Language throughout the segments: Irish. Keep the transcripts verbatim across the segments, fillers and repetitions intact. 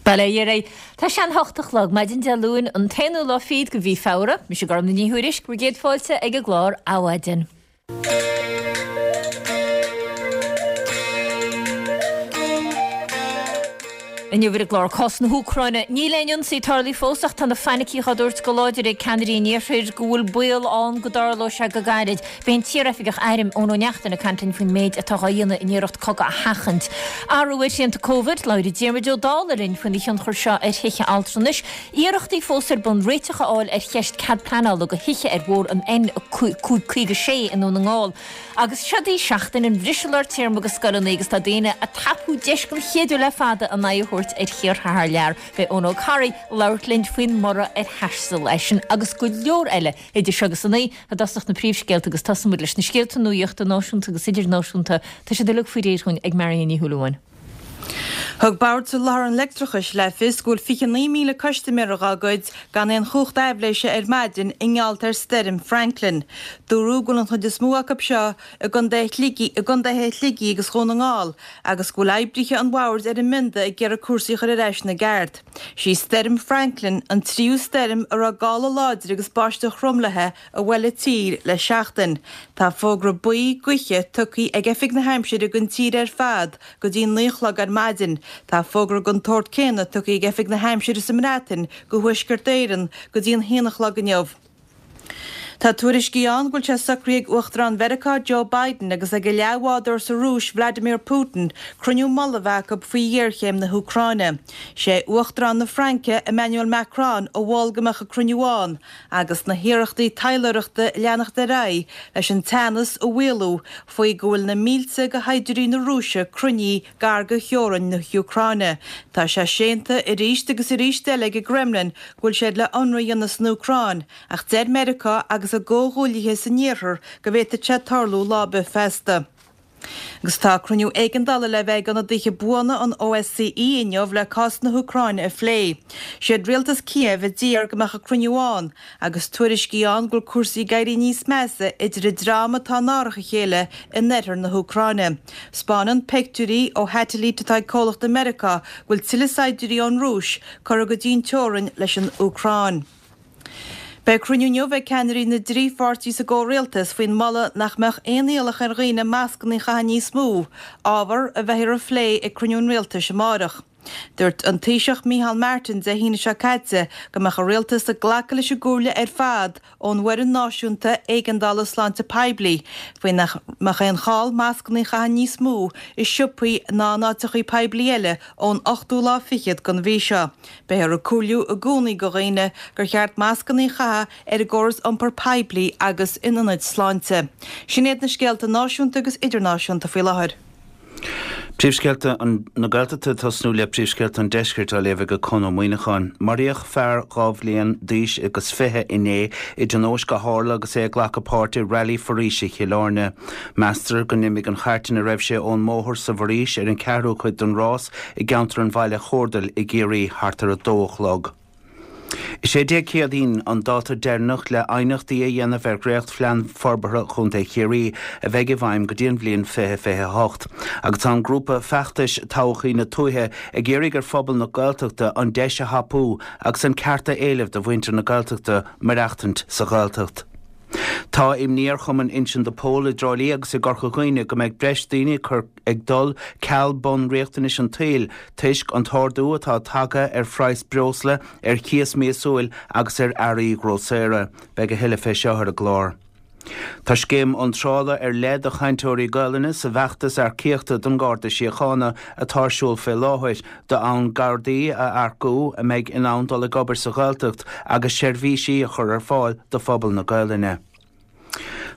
Bail ó Dhia oraibh. Tá sé an hocht a chlog, maidin Dé Luain, an t-aonú lá fichead de mhí Feabhra. Mise Gormfhlaith Ní Thuairisg, bhur gcéad fáilte ag an gclár Adhmhaidin. Inniu ar an gclár cás na hÚcráine. Níl aon ionsaí tarlaithe fós ach tá na fainicí á dtabhairt go láidir ag ceannairí an Iarthair go bhfuil baol ann go dtarlóidh sé go gairid. Beidh an t-iaroifigeach airm Eoin Ó Neachtain ag caint linn faoin méid atá á dhéanamh in iarracht cogadh a sheachaint. Athrú ar shrianta Covid, labhróidh Diarmuid Ó Dálaigh linn faoina thionchar seo ar thithe altranais. Iarrachtaí fós ar bun réiteach a fháil ar cheist cead pleanála do thithe ar bhóthar an N cúig caoga sé i nDún na nGall. Agus seod í seachtain an bhriseadh lár téarma do scoileanna agus tá daoine ag tapú deis den chéad uair le fada a n-aghaidh a thabhairt ar thíortha thar lear. Beidh Eoin Ó Carraigh ag labhairt linn faoin mborradh ar thaisteal eisean agus go leor eile idir seo agus a naoi. I dtosach na príomhscéalta agus tosóidh muid leis na scéalta nuachta náisiúnta agus idirnáisiúnta. Tá siad uilig faoi réir dhúinn ag Marion Ní Shúilleabháin. Thug Bord Soláthair an Leictreachais le fios go bhfuil fiche naoi míle custaiméir dá gcuid gan aon chumhacht aibhléise ar maidin i ngeall ar Stoirm Franklin. Dúradh go bhfuil an chuid is mó acu seo i gcontae i gcontaetha Shligigh agus Dhún na nGall agus go bhfuil oibrithe an bhoird ar an mbionda ag iarraidh cúrsaí a chur ar ais ina gceart. Sí Stoirm Franklin an tríú stoirm a raibh gála láidir agus báisteach throm léi a bhuail an tír le seachtain. Tá fógra buí gaoithe tugtha ag Oifig na hAimsire don tír ar fad go dtí naoi a chlog ar maidin. Tá fógra den tsórt céanna tugtha ag Oifig na hAimsire sa mBreatain do Thuaisceart Éireann go dtí an haon a chlog inniu. Tá tuairiscí ann go bhfuil sé socraithe ag Uachtarán Mheiriceá Joe Biden agus ag a leathbhádóir sa Rúis Vladimir Putin cruinniú mullaigh a bheith acu faoi ghéarchéim na hÚcráine. Sé Uachtarán na Fraince Emmanuel Macron a mhol go mbeadh an cruinniú ann agus na hiarrachtaí taidhleoireachta ag leanacht ar aghaidh leis an teannas a mhaolú faoi go bhfuil na mílte de shaighdiúirí na Rúise cruinnithe gar do theorainn na hÚcráine. Tá sé séanta arís agus arís eile ag an gCremlin go bhfuil siad le ionradh a dhéanamh san Úcráin, ach deir Meiriceá agus a gcomhghuaillithe san Iarthar go bhféadfadh sé tarlú lá ar bith feasta. Agus tá cruinniú éigeandála le bheith ag ionadaithe buana an OSCE inniu le cás na hÚcráine a phlé. Siad rialtas Kiev a d'iarr go mbeadh an cruinniú ann, agus tuairiscí ann go bhfuil cúrsaí ag éirí níos measa idir an dream atá in árach a chéile in oirthear na hÚcráine. 'Spáineann pictiúirí ó shatailít atá ag comhlacht i Meiriceá go bhfuil tuilleadh saighdiúirí ón Rúis curtha go dtí an teorainn leis an Úcráin. Beidh cruinniú inniu ag ceannairí na dtrí pháirtí sa gcomhrialtas faoin moladh nach mbeadh aon iallach ar dhaoine mascanna a chaitheamh níos mó, ábhar a bheifear a phlé ag cruinniú an rialtais amárach. Dúirt an Taoiseach Micheál Martin Dé hAoine seo caite go mbeadh an rialtas ag glacadh leis an gcomhairle ar fad ón bhFoireann Náisiúnta Éigeandála Sláinte Poiblí faoi nach mbeadh aon chall mascanna a chaitheamh níos mó i siopaí ná in áiteachaí poiblí eile ón ochtú lá fichead den mhí seo. Beifear ag comhairliú i gcónaí do dhaoine gur cheart mascanna a chaitheamh ar an gcóras iompair poiblí agus in ionaid sláinte. Sin iad na scéalta náisiúnta agus idirnáisiúnta faoi láthair. Príomhscéalta na Gaeltachta ag tosnú le Príomhscéalta an Deiscirt á léamh ag Conn Ó Muíneacháin. Maraíodh fear dhá bhliain d'aois agus fiche inné i dtionóisc a tharla agus é ag glacadh páirte i Railí Foraoise Chill Airne. Meastar go n-imigh an chairt ina raibh sé ón mbóthar sa bhforaois ar an ceathrú cuid den rás i gceantar an Bhaile Chordail i gCiarraí thart ar a dó a chlog. Is é Dé Céadaoin an dáta deireanach le aighneachtaí a dhéanamh ar dhréachtphlean forbartha Chontae Chiarraí a bheidh i bhfeidhm go dtí an bhliain fiche fiche a hocht agus tá an grúpa feachtais Todhchaí na Tuaithe ag iarraidh ar phobal na Gaeltachta an deis a thapú agus an ceart a éileamh do mhuintir na Gaeltachta maireachtaint sa Ghaeltacht. Tá imní ar Chumann Uinseann de Pól i dTrá Lí agus i gCorca Dhuibhne go mbeidh breis daoine ag dul ceal bunriachtanais an tsaoil toisc an t-ardú atá tagtha ar phraghas breosla, ar chíos míosúil agus ar earraí grósaera. Beidh a thuilleadh fé seo ar an gclár. Tá scéim iontrála ar leith do chainteoirí Gaelainne sa bhfeachtas earcaíochta don Gharda Síochána atá ar siúl fé láthair, d'fhonn Gardaí a earcú a mbeidh in ann dul ag obair sa Ghaeltacht agus seirbhísí a chur ar fáil do phobal na Gaelainne.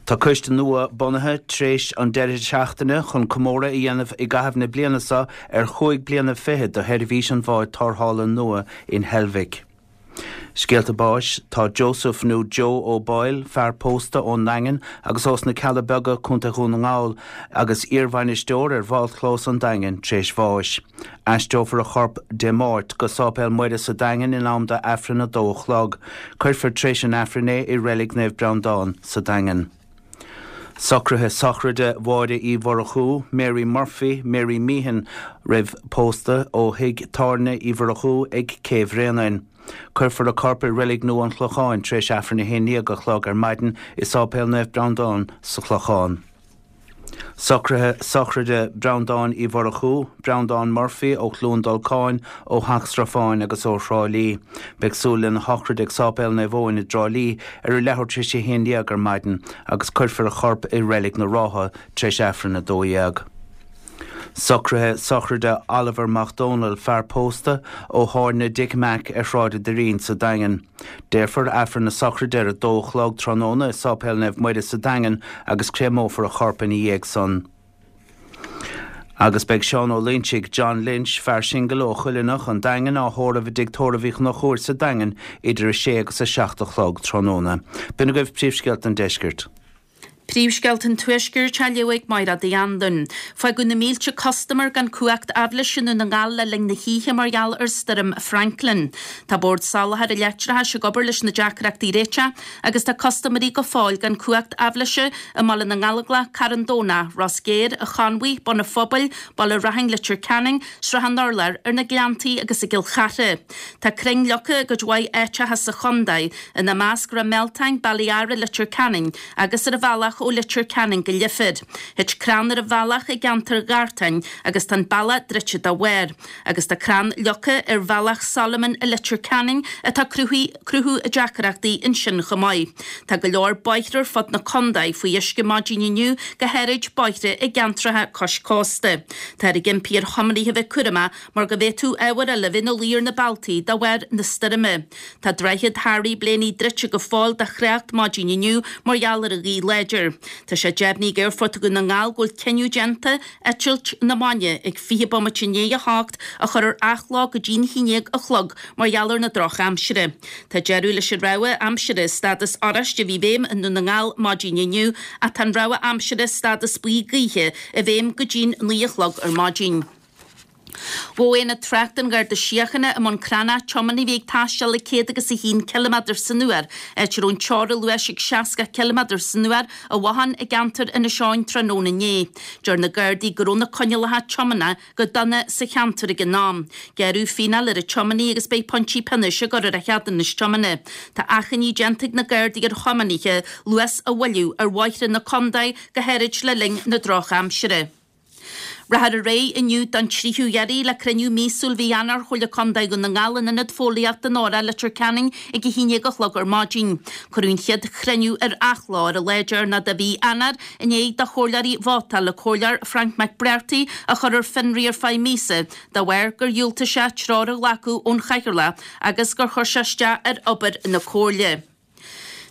Tá coiste nua bunaithe tréis an deireadh seachtaine chun comóradh a dhéanamh i gcaitheamh na bliana seo ar chúig bliana fichead de sheirbhís an bháid tarrthála nua in Heilbhic. Scéalta báis, Tá Joseph nó Joe Ó Baoill, fear pósta ón nDaingean agus ós na Cealla Beaga, Contae Dhún na nGall, agus iarbhainisteoir ar Bhallchlós an Daingin, tréis bháis. Aistreofar a chorp Dé Máirt go Sáipéal Muire sa Daingean in am do Aifreann a dó a chlog. Cuirfear tréis an Aifrinn é i Reilig Naomh Breandán sa Daingean. Socruithe sochraide Mháire Uí Mhurchú, Mary Murphy, Mary Meehan roimh pósta ó Thigh Tábhairne Uí Mhurchú ag Cé Bhréanainn. Cuirfear a corp i Reilig Nua an Chlocháin tar éis Aifreann a haon déag a chlog ar maidin i Sáipéal Naomh Breandán sa Chlochán. Socruithe sochraide Breandán Uí Mhurchú, Breandán Murphy ó Chluain Dolcáin, ó Theach Srafáin agus ó Thrá Lí. Beidh súil lena shochraid ag Sáipéal Naomh Eoin i dTrá Lí ar a leathuair tar éis a haon déag ar maidin agus cuirfear a chorp i Reilig na Rátha tar éis Aifreann a dó dhéag. Socruithe sochraide Oliver Mac Dónaill, fear pósta ó Thábhairne Dick Mac ar Shráid an Doirín sa Daingean. Déarfar Aifreann na sochraide ar a dó a chlog tráthnóna i Sáipéal Naomh Muire sa Daingean agus créamófar a chorp ina dhiaidh san. Agus beidh Seán Ó Loinsigh, John Lynch, fear singil ó Chuilleanach, an Daingean, á thórramh i dtigh tórraimh Uí Chonchúir sa Daingean idir a sé agus a seacht a chlog tráthnóna. B'in agaibh príomhscéalta an deiscirt. Príomhscéalta an Tuaiscirt á léamh ag Máire Uí Anluain. Fágadh na mílte custaiméir gan cumhacht aibhléise i nDún na nGall le linn na hoíche mar gheall ar Stoirm Franklin. Tá Bord Soláthair an Leictreachais ag obair leis na deacrachtaí a réiteach agus tá custaiméirí go fóill gan cumhacht aibhléise i mBaile na nGallóglach, Carn Domhnach, Ros Géar, an Chonmhaigh, Bun an Phobail, Baile Raithin, Leitir Ceanainn, Srath an Urláir, ar na Gleanntaí agus i gCill Chartha. Tá crainn leagtha i gcuid mhaith áiteacha sa chontae, ina measc Ráth Mealtain, Baile Ara, Leitir Ceanainn agus ar an bhealach ó Leitir Ceanainn go Leifear. Thit crann ar an bhealach i gceantar Ghartáin agus tá an bealach druidte dá bharr. Agus tá crann leagtha ar bhealach Solomon i Leitir Ceanainn atá cruthú deacrachtaí ansin chomh maith. Tá go leor bóithre ar fud na contae faoi uisce maidin inniu, go háirid bóithre i gceantracha cois cósta. Táthar ag impí ar thiománaithe bheith cúramach mar go bhféadfadh ábhair eile bheith ina luí ar na bealtaí de bharr na stoirme. Tá Droichead Harry Blaney druidte go fóill do thrácht maidin inniu mar gheall ar an ghaoth láidir. Tá sé deimhnithe ag Aerfort Dhún na nGall go bhfuil cinneadh déanta eitilt na maidine ag fiche bomaite i ndiaidh a hocht a chur ar athló go dtí'n haon déag a chlog mar gheall ar na drochaimsire. Tá deireadh leis an rabhadh aimsire stádas oráiste a bhí i bhfeidhm i nDún na nGall maidin inniu ach tá an rabhadh aimsire stádas buí gaoithe i bhfeidhm go dtí'n naoi a chlog ar maidin. Ghabh Aonad Tráchta an Gharda Síochána i mBun Cranncha tiománaí a bhí ag taisteal ag céad agus a haon ciliméadar san uair, áit a raibh an teora luais ag seasca ciliméadar san uair i bhothán i gceantar Inis Eoghain tráthnóna inné. Deir na Gardaí go raibh na coinníollacha tiomána go dona sa cheantar ag an am. Gearradh fíneáil ar an tiománaí agus beidh pointí pionóis á gcur ar a cheadúnas tiomána. Tá achainí déanta ag na Gardaí ar thiománaithe luas a mhoilliú ar bhóithre na contae, go háirid le linn na drochaimsire. Rachfar ar aghaidh inniu don tríú iarraidh le cruinniú míosúil mhí Eanáir Chomhairle Contae Dhún na nGall in Ionad Fóillíochta an Óra, Leitir Ceanainn ag a haon déag a chlog ar maidin. Cuireadh an chéad chruinniú ar athló ar an lá deireanach de mhí Eanáir i ndiaidh do chomhairleoirí vótáil an Comhairleoir Frank McBrearty a chur ar fionraí ar feadh míosa de bharr gur dhiúltaigh sé treoir a ghlacadh ón chathaoirleach agus gur chuir sé isteach ar obair na comhairle.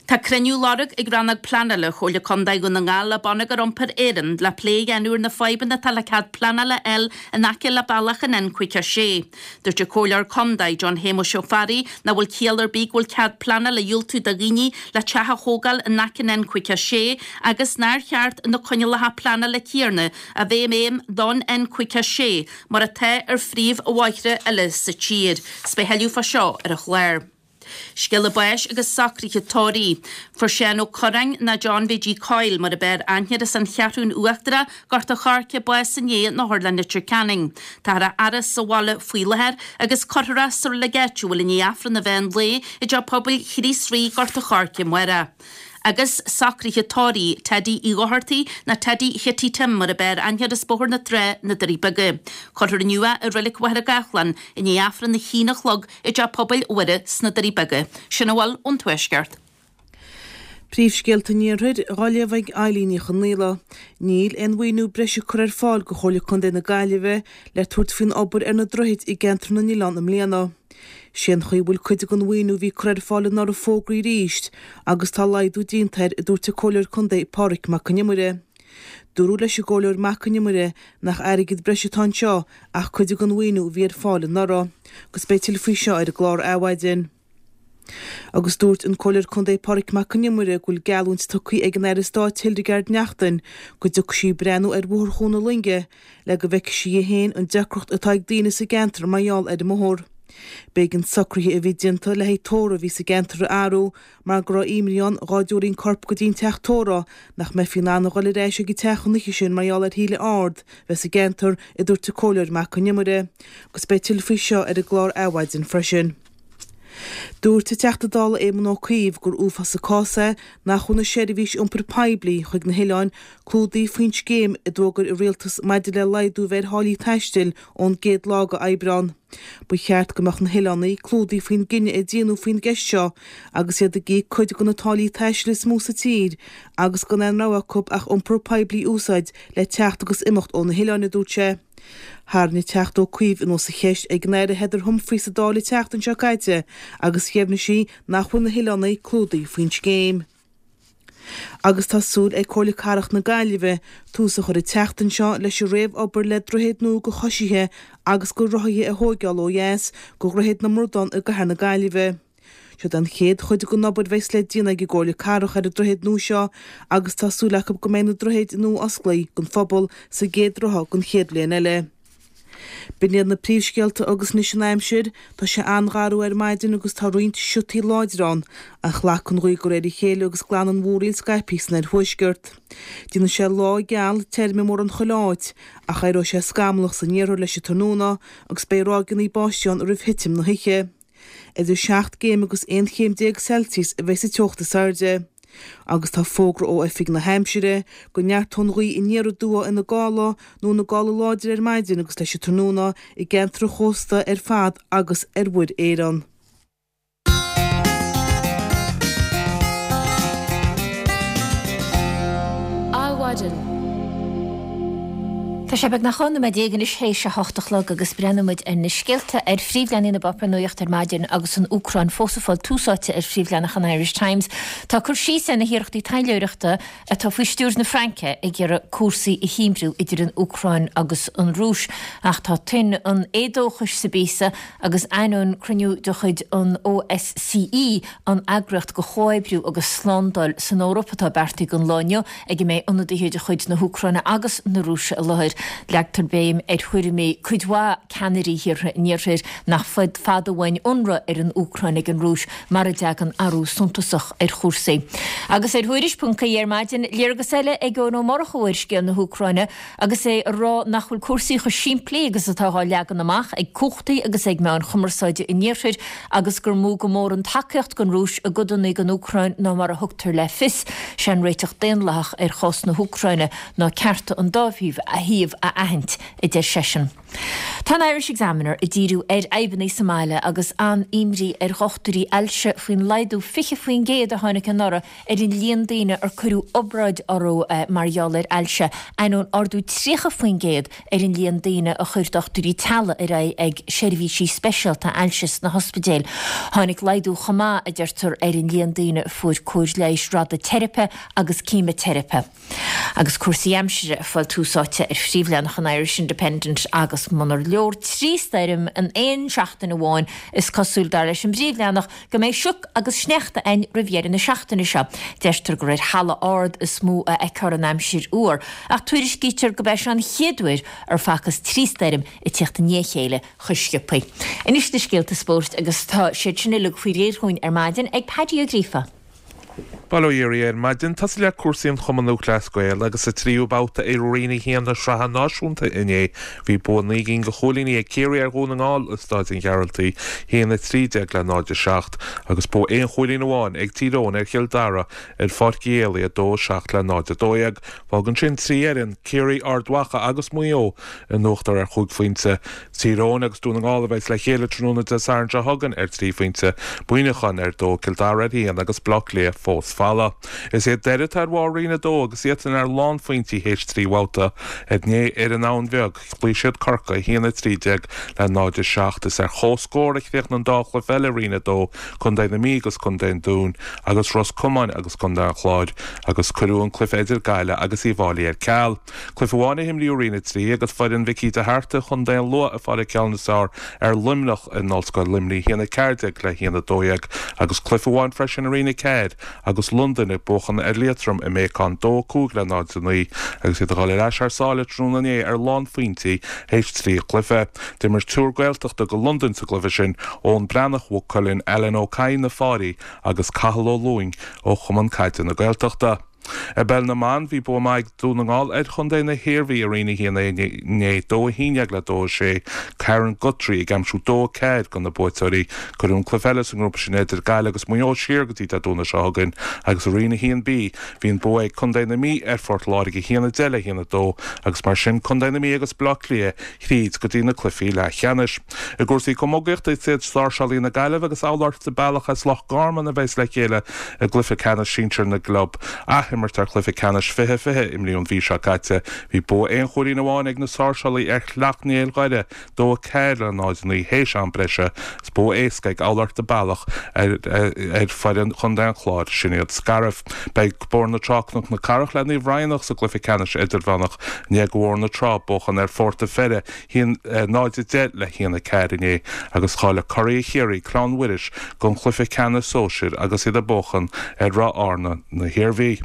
Tá cruinniú á lorg ag Rannóg Pleanála Chomhairle Contae Dhún na nGall le Bonneagar Iompair Éireann le plé a dhéanamh ar na fadhbanna atá le cead pleanála a fháil in aice le bealach an N caoga a sé. Dúirt an Comhairleoir Contae John Shéamuis Ó Fearraigh nach bhfuil ciall ar bith go bhfuil cead pleanála á dhiúltú do dhaoine le teach a thógáil in aice an N caoga a sé agus nár cheart na coinníollacha pleanála céanna a bheith i bhfeidhm don N caoga a sé mar atá ar phríomhbhóithre eile sa tír. 'S beidh tuilleadh fá seo ar an chlár. Scéala báis agus socruithe tórraimh. Fuair Seán Ó Curráin, nó John Bhiddy Coyle mar a b'fhearr aithne air as an Cheathrún Uachtarach, Gort a' Choirce, bás inné in Otharlann Leitir Ceanainn. Táthar á fhaire sa bhaile faoi láthair agus cuirfear é sa reilig áitiúil i ndiaidh Aifreann an mheán lae i dTeach Pobail Chríost Rí, Gort a' Choirce amárach. Agus socruithe tórraimh Teddy Uí Dhochartaigh, nó Teddy Chitty Tim mar a b'fhearr aithne air as Bóthar na Trá, Na Doirí Beaga. Cuirfear inniu é i Reilig Mhachaire Gathlán i ndiaidh Aifreann a haon a chlog i dTeach Pobail Mhuire sna Doirí Beaga. Sin a bhfuil ón Tuaisceart. Príomhscéalta an Iarthair, á léamh ag Eilín Ní Chonaola. Níl aon mhaoiniú breise curtha ar fáil do Chomhairle Contae na Gaillimhe le tabhairt faoin obair ar na droichid i gceantar na n-oileán i mbliana. Sé an chaoi a bhfuil cuid den mhaoiniú a bhí curtha ar fáil anuraidh fógraithe arís agus tá laghdú déanta air, a dúirt an Comhairleoir Contae Pádraig Mac Con Iomaire. Dúradh leis an gComhairleoir Mac Con Iomaire nach airgead breise atá anseo ach cuid den mhaoiniú a bhí ar fáil anuraidh. Agus beidh tuilleadh faoi seo ar an gclár Adhmhaidin. Agus dúirt an Comhairleoir Contae Pádraig Mac Con Iomaire go bhfuil geallúint tugtha ag an Aire Stáit Hildegarde Naughton go dtiocfaidh sí ag breathnú ar Bhóthar Chuan na Loinge le go bhfeicfidh sí í féin an deacracht atá ag daoine sa gceantar mar gheall ar an mbóthar. B'éigean socruithe a bhí déanta le haghaidh tórramh a bhí sa gceantar a athrú mar go raibh imní ann dhá dtabharfaí an corp go dtí an teach tórraimh nach mbeifí in ann a dhul ar ais ag an teach an oíche sin mar gheall ar thaoille ard bheith sa gceantar, a dúirt an Comhairleoir Mac Con Iomaire. Agus beidh tuilleadh faoi seo ar an gclár Adhmhaidin freisin. Dúirt an Teachta Dála Éamon Ó Cuív gur uafás an cás é nach bhfuil na seirbhís iompair poiblí chuig na hoileáin clúdaithe faoin scéim a d'fhógair an Rialtas maidir le laghdú a bheith ar tháillí taistil ón gcéad lá de Aibreán. Ba cheart go mbeadh na hoileánaigh clúdaithe faoin gcinneadh a déanadh faoin gceist seo agus iad ag íoc cuid de na táillí taistil is mó sa tír agus gan aon rogha acu ach iompar poiblí a úsáid le teacht agus imeacht ó na hoileáin, a dúirt sé. Tharraing an Teachta Ó Cuív anuas an cheist ag an Aire Heather Humphreys sa Dáil an tseachtain seo caite agus dheimhnigh sí nach bhfuil na hoileánaigh clúdaithe faoin scéim. Agus tá súil ag Comhairle Cathrach na Gaillimhe tús a chur an tseachtain seo leis an réamh-obair le droichead nua do choisithe agus do rothaithe a thóigeáil ó dheas de Dhroichead na mBradán i gcathair na Gaillimhe. Seod an chéad chuid den obair a bheas le déanamh ag an gComhairle Cathrach ar an droichead nua seo agus tá súil acu go mbeidh na droichid nua osclaithe don phobal sa gcéad ráithe den chéad bhliain eile. B'in iad na príomhscéalta agus anois an aimsir. Tá sé an-gharbh ar maidin agus tá roinnt siotaí láidre ann, ach glacfaidh an ghaoth de réir a chéile agus glanfaidh an mhúraíl scaipthe san oirthuaisceart. Déanfaidh sé lá geal tirim i mórán chuile áit, ach éireoidh sé scamallach san iarthar leis an tráthnóna agus beidh ráigeanna báistí ann roimh thitim na hoíche. Idir seacht gcéim agus aon chéim déag Celsius a bheidh sa teocht is airde. Agus tá fógra ó Oifig na hAimsire go neartóidh an ghaoth aniar aduaidh ina gála nó ina gála láidir ar maidin agus leis an tráthnóna i gceantar an chósta ar fad agus ar Mhuir Éireann. Adhmhaidin. Tá sé beagnach dhá nóiméad déag anois théis a hocht a chlog agus breathnóidh muid ar na scéalta ar phríomhleathanaigh na bpáipéar nuachta ar maidin agus an Úcráin fós ag fáil tús áite ar phríomhleathanach an Irish Times. Tá cur síos ar na hiarrachtaí taidhleoireachta atá faoi stiúir na Fraince ag iarraidh cúrsaí a shuaimhniú idir an Úcráin agus an Rúis. Ach tá tuin an éadóchais sa bpíosa agus ainneoin cruinniú de chuid an OSCE, an eagraíocht do chomhoibriú agus slándáil san Eoraip, atá beartaithe don lá inniu, ag a mbeidh ionadaithe de chuid na hÚcráine agus na Rúise i láthair. Leagtar béim ar thuairimí cuid mhaith ceannairí thíortha an Iarthair nach fada uainn ionradh ar an Úcráin ag an Rúis mara dtagann athrú suntasach ar chúrsaí. Agus ar Thuairisc ponc ie ar maidin, léargas eile ag Eoin Ó Murchú ar scéal na hÚcráine agus é ag rá nach bhfuil cúrsaí chomh simplí agus atá á leagan amach ag cumhachtaí agus ag meáin chumarsáide an Iarthair agus gur mó go mór an tacaíocht don Rúis i gcodanna den Úcráin ná mar a thugtar le fios. Sé an réiteach daonlathach ar chás na hÚcráine ná cearta an dá thaobh a aithint, a deir seisean. Tá an Irish Examiner ag díriú ar fhadhbanna sa mbaile agus an-imní ar dhochtúirí ailse faoin laghdú fiche faoin gcéad a tháinig anuraidh ar an líon daoine ar cuireadh obráid orthu mar gheall ar ailse, ainneoin ardú tríocha faoin gcéad ar an líon daoine a chuir dochtúirí teaghlaigh ar aghaidh ag seirbhísí speisialta ailse sna hospidéil. Tháinig laghdú chomh maith, a deirtear, ar an líon daoine a fuair cóir leighis radaiteiripe agus ceimiteiripe. Agus cúrsaí aimsire ag fáil tús áite ar phríomhleathanach an Irish Independent agus munar leor trí stoirm in aon seachtain amháin is cosúil, dar leis an bpríomhleathanach, go mbeidh sioc agus sneachta ann roimh dheireadh na seachtaine seo. Deirtear gur ar thalamh ard is mó a fheicfear an aimsir fhuar, ach tuairiscítear gurb é seo an chéad uair ar facthas trí stoirm ag tíocht i ndiaidh a chéile chomh sciobtha. Anois na scéalta spóirt agus tá siad sin uilig faoi réir dhúinn ar maidin ag Paddy Ó Gríofa. Bail ó Dhia oraibh ar maidin. Tosú le cúrsaí an Chumann Lúthchleas Gael agus sa tríú babhta i Roinn a haon na Sraithe Náisiúnta inné bhí bua naoi gcinn de chúilíní ag Ciarraí ar Dhún na nGall i Stáid an Ghearaltaigh, a haon a trí déag le náid a seacht, agus bua aon chúilín amháin ag Tír Eoghain ar Chill Dara ar Pháirc Uí Éalaí, a dó a seacht le náid a dó dhéag. Fágann sin trí fhoireann, Ciarraí, Ard Mhacha agus Maigh Eo, in uachtar ar chúig phointe. Tír Eoghain agus Dún na nGall a bheas le chéile tráthnóna Dé Sathairn seo chugainn ar trí phointe, Muineachán ar dó, Cill Dara ar haon agus Baile Átha Cliath fós folamh. Is iad Doire atá ar bharr Roinn a dó agus iadsan ar lánphointí théis trí bhabhta. Inné ar an Abhainn Bheag, chloígh siad Corcaigh, a haon a trí déag le náid a seacht. Is ar comhscór a chríochnaigh an dá chluiche eile i Roinn a dó, Contae na Mí agus Contae an Dúin, agus Ros Comáin agus Contae an Chláir, agus cuireadh an cluiche idir Gaillimh agus Uíbh Fhailí ar ceal. Cluiche amháin a himríodh i Roinn a trí agus foireann Mhicí de hArta, Chontae an Lú ag fáil an ceann is fearr ar Luimneach in Ollscoil Luimnigh, a haon a ceathair déag le haon a dó dhéag, agus cluiche amháin freisin i Roinn a ceathair agus agus Londain ag buachan ar Liatroim i mBéacán dó cúig le náid a naoi agus iad ag dul ar ais thar sáile tráthnóna inné ar lánphointí théis trí chluiche. D'imir triúr Gaeltachta do Londain sa gcluiche sin, Eoin Breathnach, Mhaigh Cuilinn, Alan Ó Cadhain, Na Fáirí agus Cathal Ó Lúing ó Chumann Caide na Gaeltachta. I bpeil na mban, bhí bua maith ag Dún na nGall ar chontae na hIarmhí i Roinn a haon A inné, dó a haon déag le dó a sé, Karen Guthrie ag aimsiú dó a ceathair do na buaiteoirí. Cuireadh an cluiche eile sa ngrúpa sin idir Gaillimh agus Maigh Eo siar go dtí Dé Domhnaigh seo chugainn agus i Roinn a haon B bhí an bua ag contae na Mí ar Phort Láirge a haon a deich le haon a dó agus mar sin contae na Mí agus Baile Átha Cliath thríd go dtí na cluichí leathcheannais. I gcúrsaí camógaíochta is iad Sáirséalaigh na Gaillimhe agus Abhallort Bealach as Loch Garman a bheas le chéile i gcluiche ceannais sinsir na gclub. Athimirt ar chluiche ceannais fiche fiche imríodh an mhí seo caite. Bhí bua aon chúilín amháin ag na Sáirséalaigh ar Shleacht Néill Dhoire, dó a ceathair le náid a naoi théis am breise. Is bua éasca ag Abhallort Bealach ar ar foireann Chontae an Chláir, sin iad Scariff. Beidh Bóthar na Trá Cnoc na Cathrach le Naomh Raghnach sa gcluiche ceannais idirmheánach i ndiaidh do Bhóthar na Trá buachan ar Phort a' Pheire haon náid a deich le haon a ceathair inné agus cháiligh curaidh Chiarraí Clann Mhuiris don chluiche ceannais sóisir agus iad ag buachan ar Ráth Fhearna na hIarmhí.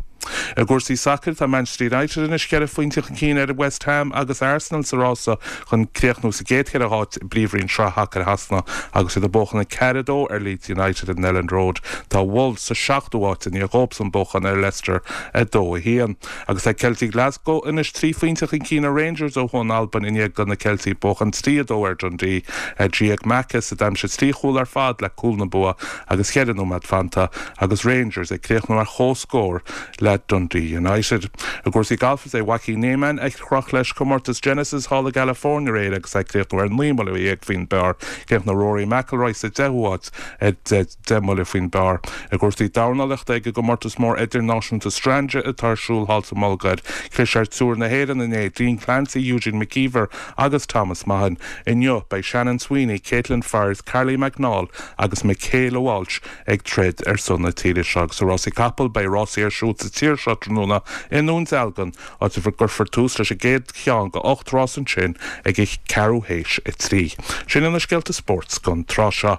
I gcúrsaí sacair, tá Manchester United anois ceithre phointe chun cinn ar West Ham agus Arsenal sa rása chun críochnú sa gcéad cheithre háit i bPríomhroinn Sraith Shacair Shasana agus iad ag buachan a ceathair a dó ar Leeds United in Elland Road. Tá Wolves sa seachtú háit i ndiaidh dóibhsan buachan ar Leicester a dó a haon. Agus tá Ceiltigh Glasgow anois trí phointe chun cinn ar Rangers ó thuaidh in Albain i ndiaidh do na Ceiltigh buachan trí a dó ar Dundee. Giac Macas a d'aimsigh trí chúl ar fad le cúl na bua agus cheithre nóiméad fanta agus Rangers ag críochnú ar comhscór le Dundee United. I gcúrsaí gailf is é Joaquin Niemann a chroch leis comórtas Genesis thall i gCalifornia aréir agus é ag críochnú ar naoi mbuille dhéag faoin bpar. Chríochnaigh Rory McIlroy sa deichiú háit ar deich mbuille faoin bpar. I gcúrsaí dornálaíochta ag an gcomórtas mór idirnáisiúnta Strandja atá ar siúl thall sa mBulgáir, chlis ar triúr na hÉireann inné, Dean Clancy, Eugene McKeever agus Thomas Mahon. Inniu, beidh Shannon Sweeney, Caitlin Fires, Carly McNaul agus Michaela Walsh ag troid ar son na tíre seo. Agus i rásaí capall, beidh rásaí ar siúl sa tír seo tráthnóna i nDún Dealgan, áit a gcuirfear tús leis an gcéad cheann de ocht rás ansin ag a ceathrú théis a trí. Sin iad na scéalta spóirt don tráth seo.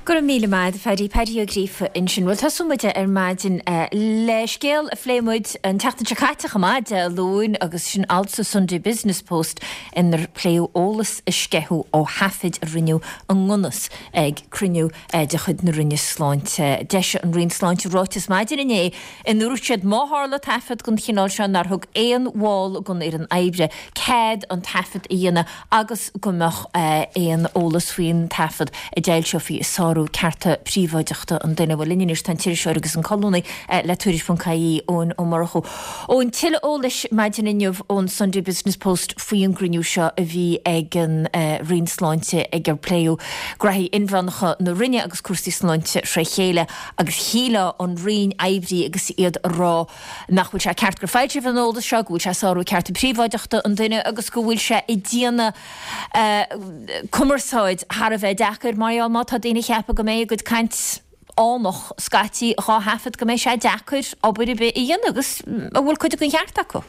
Go raibh míle maith, Phaddy Paddy Ó Gríofa ansin. Bhuel tosóidh muid ar maidin le scéal a phléigh muid an tseachtain seo caite chomh maith Dé Luain agus sin alt sa Sunday Business Post inar pléadh eolas a sceitheadh ó thaifid a rinneadh i ngnus ag cruinniú de chuid na Roinne Sláinte. D'eisigh an Roinn Sláinte ráiteas maidin inné ina ndúirt siad má tharla taifead den chineál seo nár thug aon bhall den fhoireann oibre cead an taifead a dhéanamh agus go mbeadh aon eolas faoin taifead a d'fhoilseofaí ag sárú cearta príobháideachta an duine. Bhuel linn anois tá an t-iriseoir agus an colúnaí le Tuairisc ponc ie, Eoin Ó Murchú. Eoin, tuilleadh eolais maidin inniu ón Sunday Business Post faoin gcruinniú seo a bhí ag an Roinn Sláinte ag ar pléadh graithí inmheánacha na Roinne agus cúrsaí sláinte tré chéile agus shílfeá an Roinn Oibre agus iad a rá nach bhfuil sé ceart gur foilsíodh an eolas seo, go bhfuil sé ag sárú cearta príobháideachta an duine agus go bhfuil sé ag déanamh cumarsáid thar a bheith deacair mar gheall má tá daoine ag ceapadh go mbeidh a gcuid caint fhánach scaití dhá thaifead go mbeidh sé deacair obair ar bith a dhéanamh agus an bhfuil cuid den cheart acu.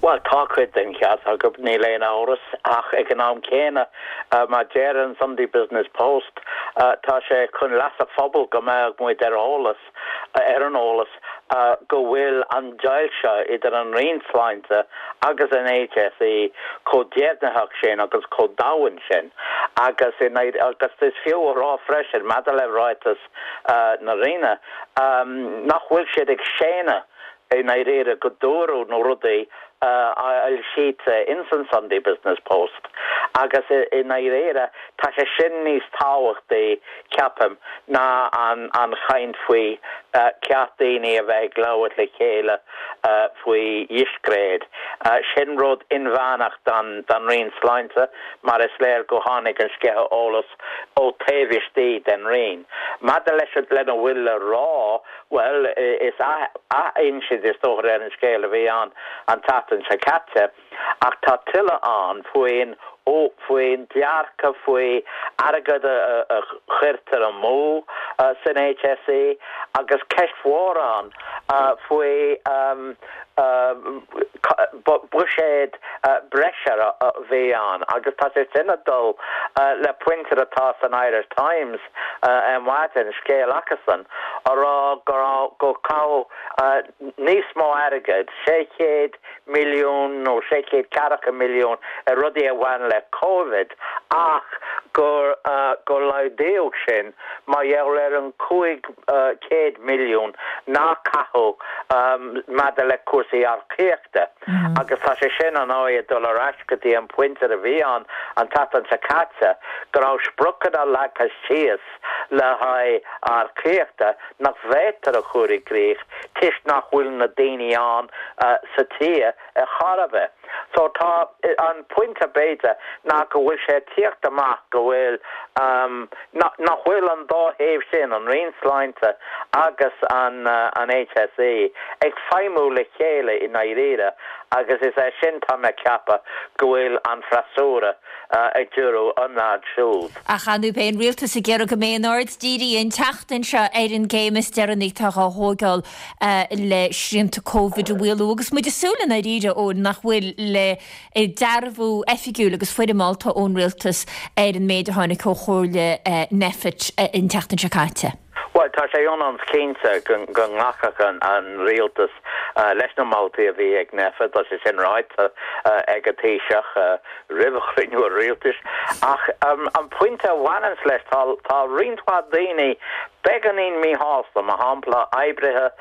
Bhuel, tá cuid den cheart acu, níl aon amhras, ach ag an am céanna, mar deir an Sunday Business Post, tá sé chun leas an phobail go mbeadh muid ar eolas, ar an eolas go bhfuil an deighilt seo idir an Roinn Sláinte agus an HSE chomh deimhnitheach sin agus chomh domhain sin agus agus is fiú a rá freisin maidir le ráiteas na Roinne nach bhfuil siad ag séanadh i ndáiríre go dúradh na rudaí a fhoilsítear ins an Sunday Business Post agus i ndáiríre tá sé sin níos tábhachtaí, ceapaim, ná an an chaint faoi ceart daoine a bheith ag labhairt le chéile faoi dhiscréid. Sin rud inmheánach don don Roinn Sláinte mar is léir go tháinig an sceitheadh eolais ó taobh istigh den Roinn. Maidir leis lena bhfuil le rá, bhuel, is athinsint is dócha ar an scéal a bhí ann an tseachtain seo caite, ach tá tuilleadh ann faoin faoin dearcadh faoi airgead a chuirtear amú san HSE agus ceist mhór ann faoi Buiséad breise a bhí ann agus tá sé sin ag dul le pointe atá san Irish Times ar maidin, scéal acusan a rá go go caitheadh níos mó airgid, sé chéad milliún nó sé chéad ceathracha milliún ar rudaí a bhain le Covid ach gur gur laghdaíodh sin mar gheall ar an cúig chéad milliún nár caitheadh maidir le cúrsaí earcaíochta agus tá sé sin ar ndóigh ag dul ar ais go dtí an pointe a bhí ann an tseachtain seo caite go raibh spriocanna leagtha síos le haghaidh earcaíochta nach bhféadtar a chur i gcrích toisc nach bhfuil na daoine ann sa tír ar chor ar bith. So tá an pointe b'fhéidir ná go bhfuil sé ag tíocht amach go bhfuil nach bhfuil an dá thaobh sin, an Roinn Sláinte agus an an HSE, ag feidhmiú le chéile i ndáiríre agus is é sin tá mé ag ceapadh go bhfuil an freasúra ag díriú an fhad siúd. Ach ar ndóigh beidh an rialtas ag iarraidh go mbeidh an aird dírithe an tseachtain seo ar an gcéim is deireanaí atá á thógáil le srianta Covid a mhaolú agus muid ag súil i ndáiríre ó nach bhfuil le dearbhú oifigiúil agus foirmeálta ón rialtas ar an méid a tháinig ó chomhairle Nphet an tseachtain seo caite. Bhuel, tá sé ionann is cinnte go nglacfadh an rialtas leis na moltaí a bhí ag Nphet, tá sé sin ráite ag an Taoiseach roimh chruinniú an rialtais. Ach an pointe a bhaineanns leis, tá roinnt mhaith daoine beagáinín míshásta, mar shampla oibrithe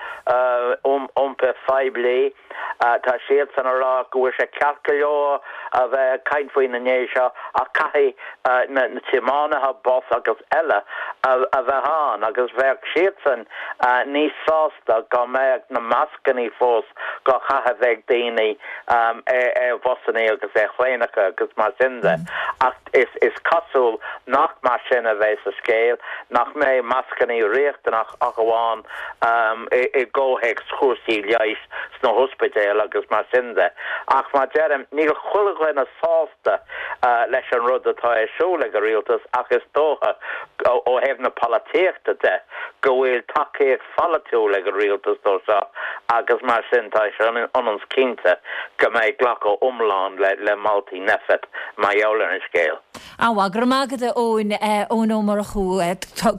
iompair phoiblí, tá siadsan ag rá go bhfuil sé ceart go leor a bheith ag caint faoi na nithe seo ach caithfidh na tiománaithe bus agus eile a bheith ann agus bheadh siadsan níos sásta go mbeadh na mascannaí fós á gcaitheamh ag daoine ar bhusannaí agus ar thraenacha agus mar sin de. Ach is cosúil nach mar sin a bheidh sa scéal, nach mbeidh mascannaí riachtanach ach amháin i gcomhthéacs chúrsaí leighis sna hospidéil agus mar sin de. Ach mar deirim, níl chuile dhuine sásta leis an rud atá ar siúl ag an rialtas ach is dócha ó thaobh na polaitíochta de go bhfuil tacaíocht pholaitiúil ag an rialtas dó seo agus mar sin tá sé ionann is cinnte go mbeidh glacadh iomlán le moltaí Nphet mar gheall ar an scéal. An-mhaith, go raibh maith agat a Eoin, Eoin Ó Murchú,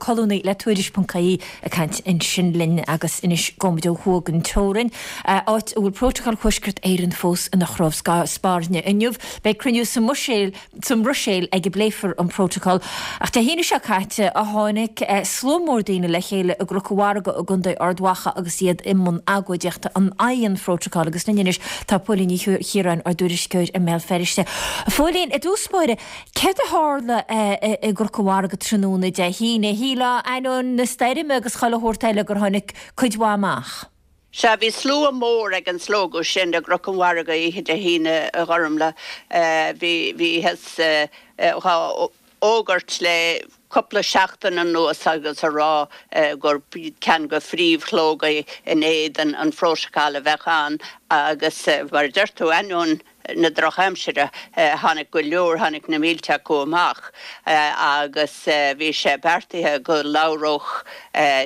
colúnaí le Tuairisc ponc ie ag caint ansin linn agus anois gabhfaidh muid ó thuaidh den teorainn, áit a bhfuil Prótacal Thuaisceart Éireann fós ina chrobh spairne. Inniu beidh cruinniú sa mBruiséil sa mBruiséil ag a bpléifear an Prótacal. Ach Dé hAoine seo caite a tháinig slua mór daoine le chéile i gCnoc an Mhargaidh i gContae Ard Mhacha agus iad i mbun agóidíochta in aghaidh an Phrótacail agus linn anois tá Póilín Ní Chiaráin, ár dtuairisceoir i mBéal Feirste. A Phóilín, i dtús báire, céard a tharla i gCnoc an Mhargaidh tráthnóna Dé hAoine? Shílfeá ainneoin na stoirme agus chuile shórt eile gur tháinig cuid mhaith amach. Sea, bhí slua mór ag an slógadh sin i gCnoc an Mhargaidh oíche Dé hAoine, a Ghormfhlaith. Bhí, bhíothas dhá fhógairt le cúpla seachtain anuas agus a rá gur ceann de phríomhshlógaí in éadan an Phrótacail a bheadh ann agus, mar a deir tú, ainneoin na drochaimsire, tháinig go leor, tháinig na mílte acu amach agus bhí sé beartaithe go labhródh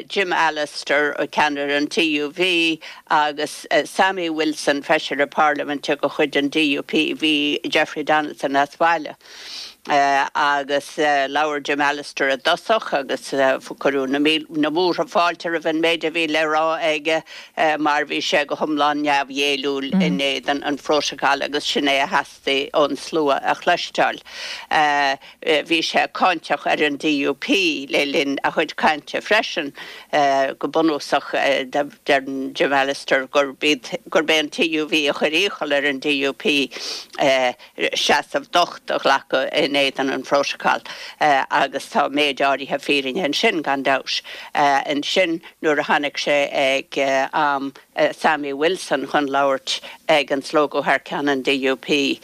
Jim Allister, ceannaire an TUV, agus Sammy Wilson, feisire parlaiminte de chuid an DUP, bhí Jeffrey Donaldson as baile. Agus labhair Jim Allister i dtosach agus cuireadh na múrtha fáilte roimh an méid a bhí le rá aige mar bhí sé go hiomlán neamhghéilliúil in éadan an Phrótacail agus sin é a theastaigh ón slua a chloisteáil. Bhí sé cáinteach ar an DUP le linn a chuid cainte freisin. Go bunúsach deir Jim Allister gurb é an TUV a chuir iachall ar an DUP seasamh docht a ghlacadh in éadan an Phrótacail agus tá méid áirithe fírinne ansin, gan dabht. Ansin nuair a tháinig sé ag am Sammy Wilson chun labhairt ag an slógadh thar ceann an DUP,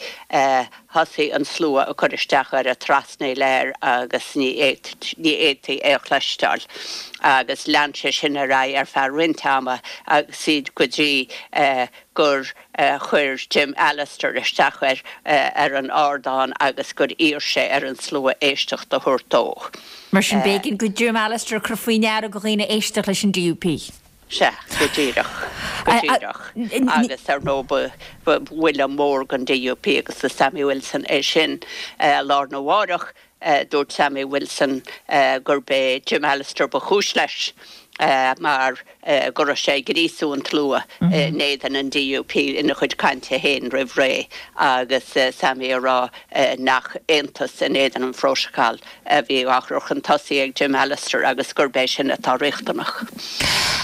thosaigh an slua ag cur isteach air, ag trasnaíl air agus ní fhéadfaí é a chloisteáil. Agus lean sé sin ar aghaidh ar feadh roinnt ama agus iad go dtí gur chuir Jim Allister isteach air ar an ardán agus gur iarr sé ar an slua éisteacht a thabhairt dó. Mar sin b'éigean do Jim Allister cur faoi ndeara do dhaoine éisteacht leis an DUP. Sea, go díreach, go díreach. Agus ar ndóigh ba, ba bhuille mór don DUP agus do Sammy Wilson é sin. Lá arna mháireach, dúirt Sammy Wilson gurb é Jim Allister ba chúis leis mar go raibh sé ag gríosú an tslua in éadan an DUP ina chuid cainte féin roimh ré agus Sammy ag rá nach aontas in éadan an Phrótacail a bhí á chur chun tosaigh ag Jim Allister agus gurb é sin atá riachtanach.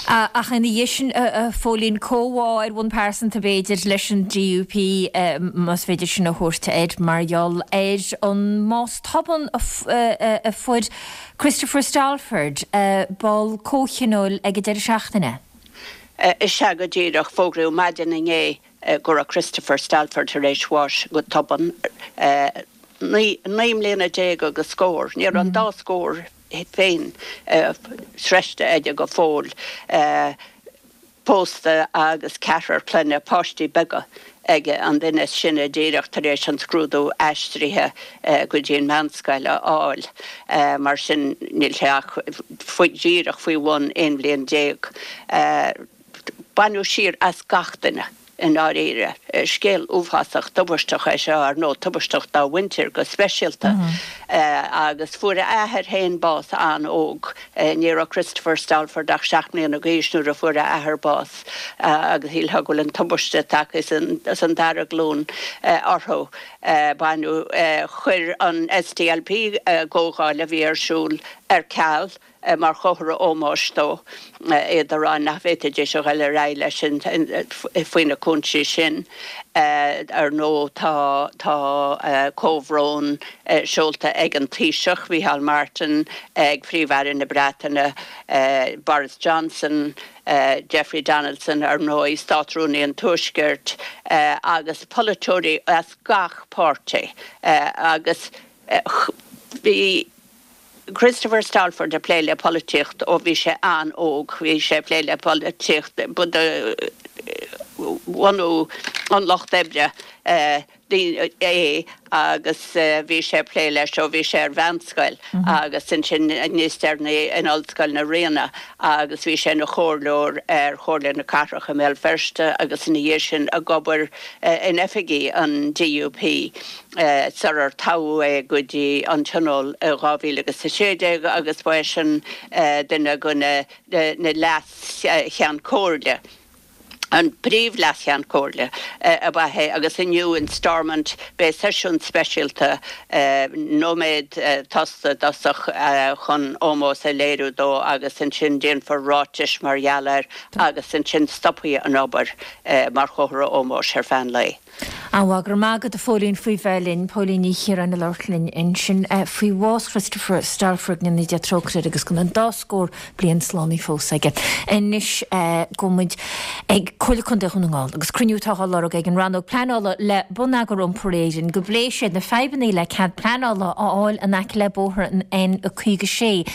Ach ina dhiaidh sin, a Phóilín, comhbhá ar bhonn pearsanta b'fhéidir leis an DUP, más féidir sin a thabhairt air, mar gheall ar an mbás tobann a fuair Christopher Stalford, ball comhthionóil ag an deireadh seachtaine. Is ea go díreach, fógraíodh maidin inné go raibh Christopher Stalford tar éis bháis go tobann. Naoi mbliana déag agus scór, ní raibh an dá scór féin sroichte aige go fóill. Pósta agus ceathrar clainne, páistí beaga, aige, an duine is sine díreach tar éis an scrúdú aistrithe go dtí an mheánscoil a fháil. Mar sin níl sé ach díreach faoi bhun aon bhliain déag. Baineadh siar as gach duine i ndáiríre. Scéal uafásach tubaisteach é seo, ar ndóigh, tubaisteach dá mhuintir go speisialta. Agus fuair a athair féin bás an-óg. Ní raibh Christopher Stalford ach seacht mbliana d'aois nuair a fuair a athair bás agus shílfeá go bhfuil an tubaiste tagtha sa dara glúin orthu. Baineadh, chuir an SDLP comhdháil a bhí ar siúl ar ceal. mar chomhartha ómóis dó, iad ag rá nach bhféadfaidís a dhul ar aghaidh leis faoi na cúinsí sin. Ar ndóigh tá tá comhbhrón seolta ag an Taoiseach, Micheál Martin, ag Príomh-Aire na Breataine, Boris Johnson, Jeffrey Donaldson, ar ndóigh, Státrúnaí an Tuaiscirt, agus polaiteoirí as gach páirtí agus bhí Christopher Stalford ag plé le polaitíocht ó bhí sé an-óg. Bhí sé ag plé le polaitíocht ba de bhunú an Lucht Oibre é agus bhí sé ag plé leis ó bhí sé ar mheánscoil agus ansin níos deireanaí in Ollscoil na Ríona agus bhí sé ina chomhairleoir ar Chomhairle na Cathrach i mBéal Feirste agus ina dhiaidh sin ag obair in oifigí an DUP. Sular toghadh é go dtí an Tionól i dhá mhíle agus a sé déag agus ba eisean duine de na leas-Cheann Comhairle, an príomh-leas-Cheann Comhairle ab ea é agus inniu in Stormont beidh seisiún speisialta, nóiméad tosta i dtosach chun ómós a léiriú dó agus ansin déanfar ráitis mar gheall air agus ansin stopfaidh an obair mar chomhartha ómóis ar feadh an lae. An-mhaith, go raibh maith agat a Phóilín faoi bheith linn. Póilín Ní Chiaráin ag labhairt linn ansin faoi bhás Christopher Stalford, go ndéana Dia trócaire air agus go mbeidh an dá scór bliain slánaithe fós aige. Anois gabhfaidh muid ag Comhairle Contae Dhún na nGall agus cruinniú atá á lorg ag an Rannóg Pleanála le Bonneagar Iompair Éireann go bpléifidh siad na fadhbanna le cead pleanála a fháil in aice le bóthar an N caoga sé.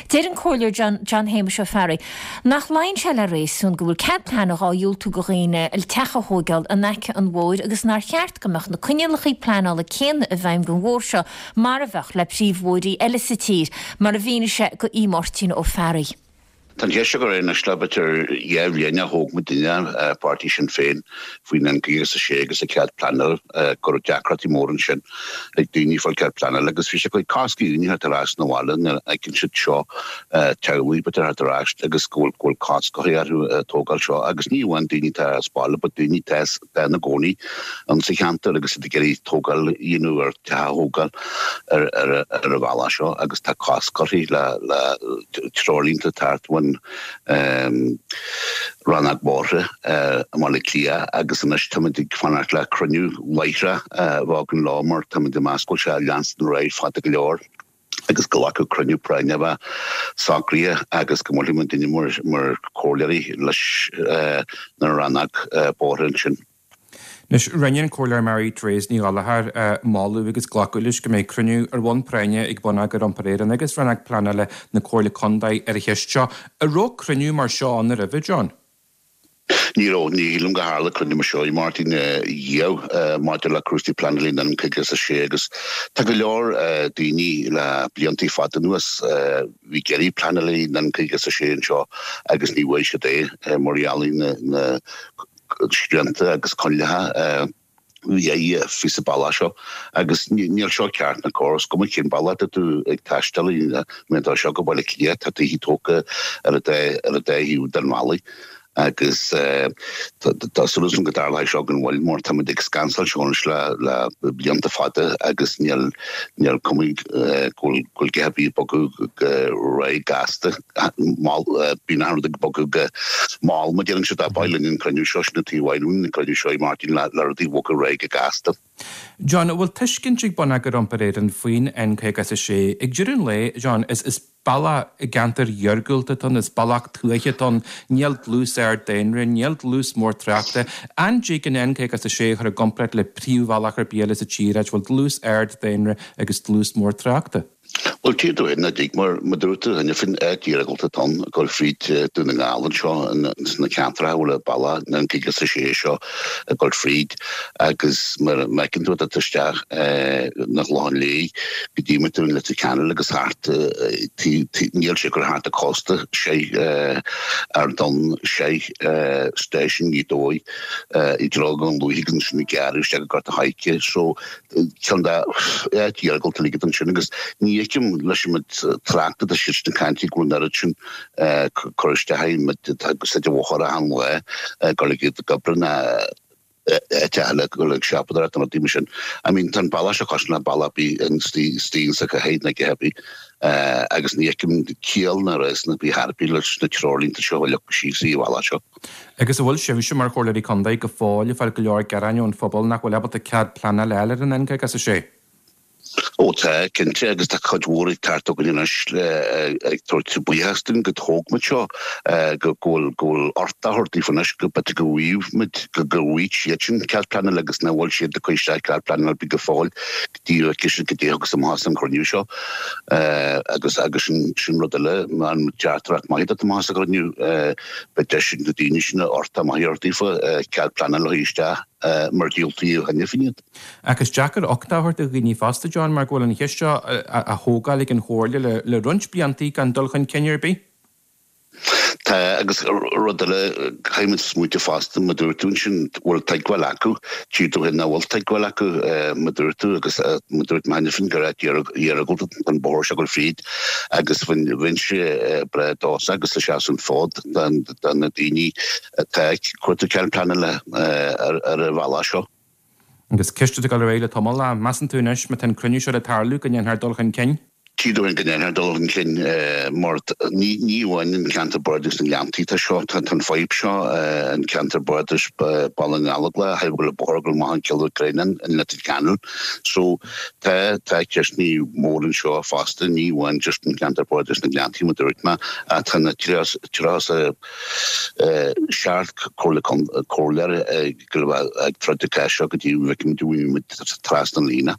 Deir an Comhairleoir John John Shéamuis Ó Fearraigh nach luíonn sé le réasún go bhfuil cead pleanála á dhiúltú go dhaoine le teach a thóigeáil in aice an bhóthair agus nár cheart go mbeadh na coinníollacha pleanála céanna i bhfeidhm don bhóthar seo mar a bheadh le príomhbhóithrí eile sa tír, mar a mhínigh sé go Aodh Máirtín Ó Fearraigh. Tá an cheist seo go réidh anois le b'fhéidir dhá bhliain ó thóg muidinne, páirtí Sinn Féin, faoin N caoga is a sé agus an cead pleanála, go raibh deacrachtaí móra ansin ag daoine fáil cead pleanála agus bhí sé ag cosc daoine theacht ar ais 'na bhaile nuair a fheiceann siad seo teaghlaigh b'fhéidir theacht ar ais agus go bhfuil go bhfuil cosc curtha orthu tógáil seo agus ní amháin daoine atá as baile but daoine atá atá ina gcónaí ann sa cheantar agus iad ag iarraidh tógáil a dhéanamh ar teach a thógáil ar ar ar an bhealach seo agus tá cosc curtha le le treoirlínte teacht ón Rannóg Bóithre i mBaile Átha Cliath agus anois táimid ag fanacht le cruinniú láithreach a bheith againn leo mar táimid ag meas go bhfuil sé ag leanstan ar aghaidh fada go leor agus go nglacfadh cruinniú práinne a bheith socraithe agus go mbuailfidh muidinne mar mar chomhairleoirí leis na rannóg bóithre ansin. Anois, rinne an Comhairleoir Mary Therese Ní Ghallchóir moladh agus glacadh leis go mbeidh cruinniú ar bhonn práinne ag Bonneagar Iompair Éireann agus Rannóg Pleanála na Comhairle Contae ar an cheist seo. An raibh cruinniú mar seo ann roimhe, John? Ní raibh, ní shílim go tharla cruinniú mar seo i Máirtín riamh maidir le cúrsaí pleanála an N caoga is a sé agus tá go leor daoine le bliantaí fada anuas bhí ag iarraidh pleanála an N caoga is a sé anseo agus ní bhfuair siad é mar gheall ar na srianta agus coinníollacha bhí faoi sa bealach seo agus níl seo ceart ná cóir is cuma cén bealach atá tú ag taisteal mar atá seo go Baile Átha Cliath tá tithe tógtha ar an dá ar an dá thaobh den bhealaigh agus tá súil agam go dtarlóidh seo gan mhoill mar táimid ag scansáil seo anois le le blianta fada agus níl níl cuma go bhfuil go bhfuil a dhath ar bith ag bogadh go réidh gasta mall bíonn achan rud ag bogadh go mall mar deireann siad ba mhaith linn an cruinniú seo sin an taobh amháin uainn an cruinniú seo Martin le le rudaí a bhogadh ar aghaidh go gasta. John, an bhfuil tuiscint ag Bonneagar Iompair Éireann faoin N caoga is a sé? Ag deireadh an lae, John, is is bealach i gceantar iargúlta atá ann, is bealach tuaithe atá ann, níl dlús ard daonra, níl dlús mór tráchta. An dtig an N caoga is a sé a chur i gcomparáid le príomhbhealach ar bith eile sa tír, áit a bhfuil dlús ard daonra agus dlús mór tráchta? Bhuel, tchí tú féin nach dtig, mar mar dúirt tú cheana féin, áit iargúlta atá ann, ag dul fríd Dún na nGall anseo, sna ceantracha a bhfuil an bealach an N caoga is a sé seo ag dul fríd agus mar a fheiceann tú, tá tú isteach na Clochán Léith go dtí tú in Leitir Ceanainn agus thart, níl sé ag dul thart an cósta, sé Ard Donn, sé stáisiún Ghaoth Dobhair i dtreo Dhún Lúiche agus ansin ag gearradh isteach go Gort a' Choirce. So, ceann de áit iargúlta uilig ansin agus ní fheicim leis an méid tráchta atá siad ag caint go bhfuil an oiread sin cur isteach air tá úsáid an bhóthair achan lá ag dul ag iad ag obair ná áit eile ag dul ag siopadóireacht nó rudaí mar sin. I mean tá an bealach seo cosúil le bealach ar bith istigh sa chathair nó a dhath ar bith agus ní fheicim ciall ná réasún ar bith ar bith leis na treoirlínte seo a leagadh síos sa bhealach seo. Agus an bhfuil sibhse mar Chomhairleoirí Contae go fóill ag fáil go leor gearáin ón phobal nach bhfuil ábalta cead pleanála a fháil ar an N caoga is a sé? Ó tá, cinnte, agus tá cuid mhór ag teacht chugainn anois ag tabhairt buíochas dúinn go dtóg muid seo, go bhfuil go bhfuil uchtach á thabhairt daofa anois go b'fhéidir go bhfaighidh muid, go bhfaighidh siadsan cead pleanála agus nach bhfuil siad ag cur isteach cead pleanála ar bith go fóill go dtí go bhfeicfidh siad goidé a thiocfas amach as an chruinniú seo. Agus agus sin sin rud eile, an teachtaireacht maith atá amach as an chruinniú, beidh deis ag na daoine sin uchtach maith a thabhairt daofa cead pleanála a chur isteach. mar diúltaíodh cheana féin iad. Ach is deacair uchtach a thabhairt do dhaoine fosta, John, mar go bhfuil an cheist seo á thógáil ag an Chomhairle le roinnt blianta gan dul chun cinn ar bith. Tá, agus rud eile, caithfidh muid smaointiú fosta, mar dúirt tú ansin, bhfuil tuigbheáil acu, tchí tú féin nach bhfuil tuigbheáil acu, mar dúirt tú, agus mar dúirt mé cheana féin, gur áit iargúlta an bóthar seo ag dul fríd agus bheinnse breá dósa agus ag seasamh an fód do na daoine atá ag cuartú cead pleanála ar an bhealach seo. Agus ceist atá ag dul ar aghaidh le tamall, measann tú anois, má tá an cruinniú seo le tarlú, go ndéanfar dul chun cinn? Tchí tú féin go ndéanfar dul chun cinn mar ní amháin an ceantar bardais na nGleanntaí atá seo, tá an fadhb seo an ceantar bardais Baile na nGallóglach, go bhfuil an bóthar ag dul amach an Cill Ghréanáin in Leitir Ceanainn. So tá tá ceisteanna mór anseo fosta, ní amháin just an ceantar bardais na nGleanntaí mar dúirt mé, ach tá na tríocha seacht comhairleoir ag ag troid an cás seo go dtí go bhfeicfimid muid trasna an líne.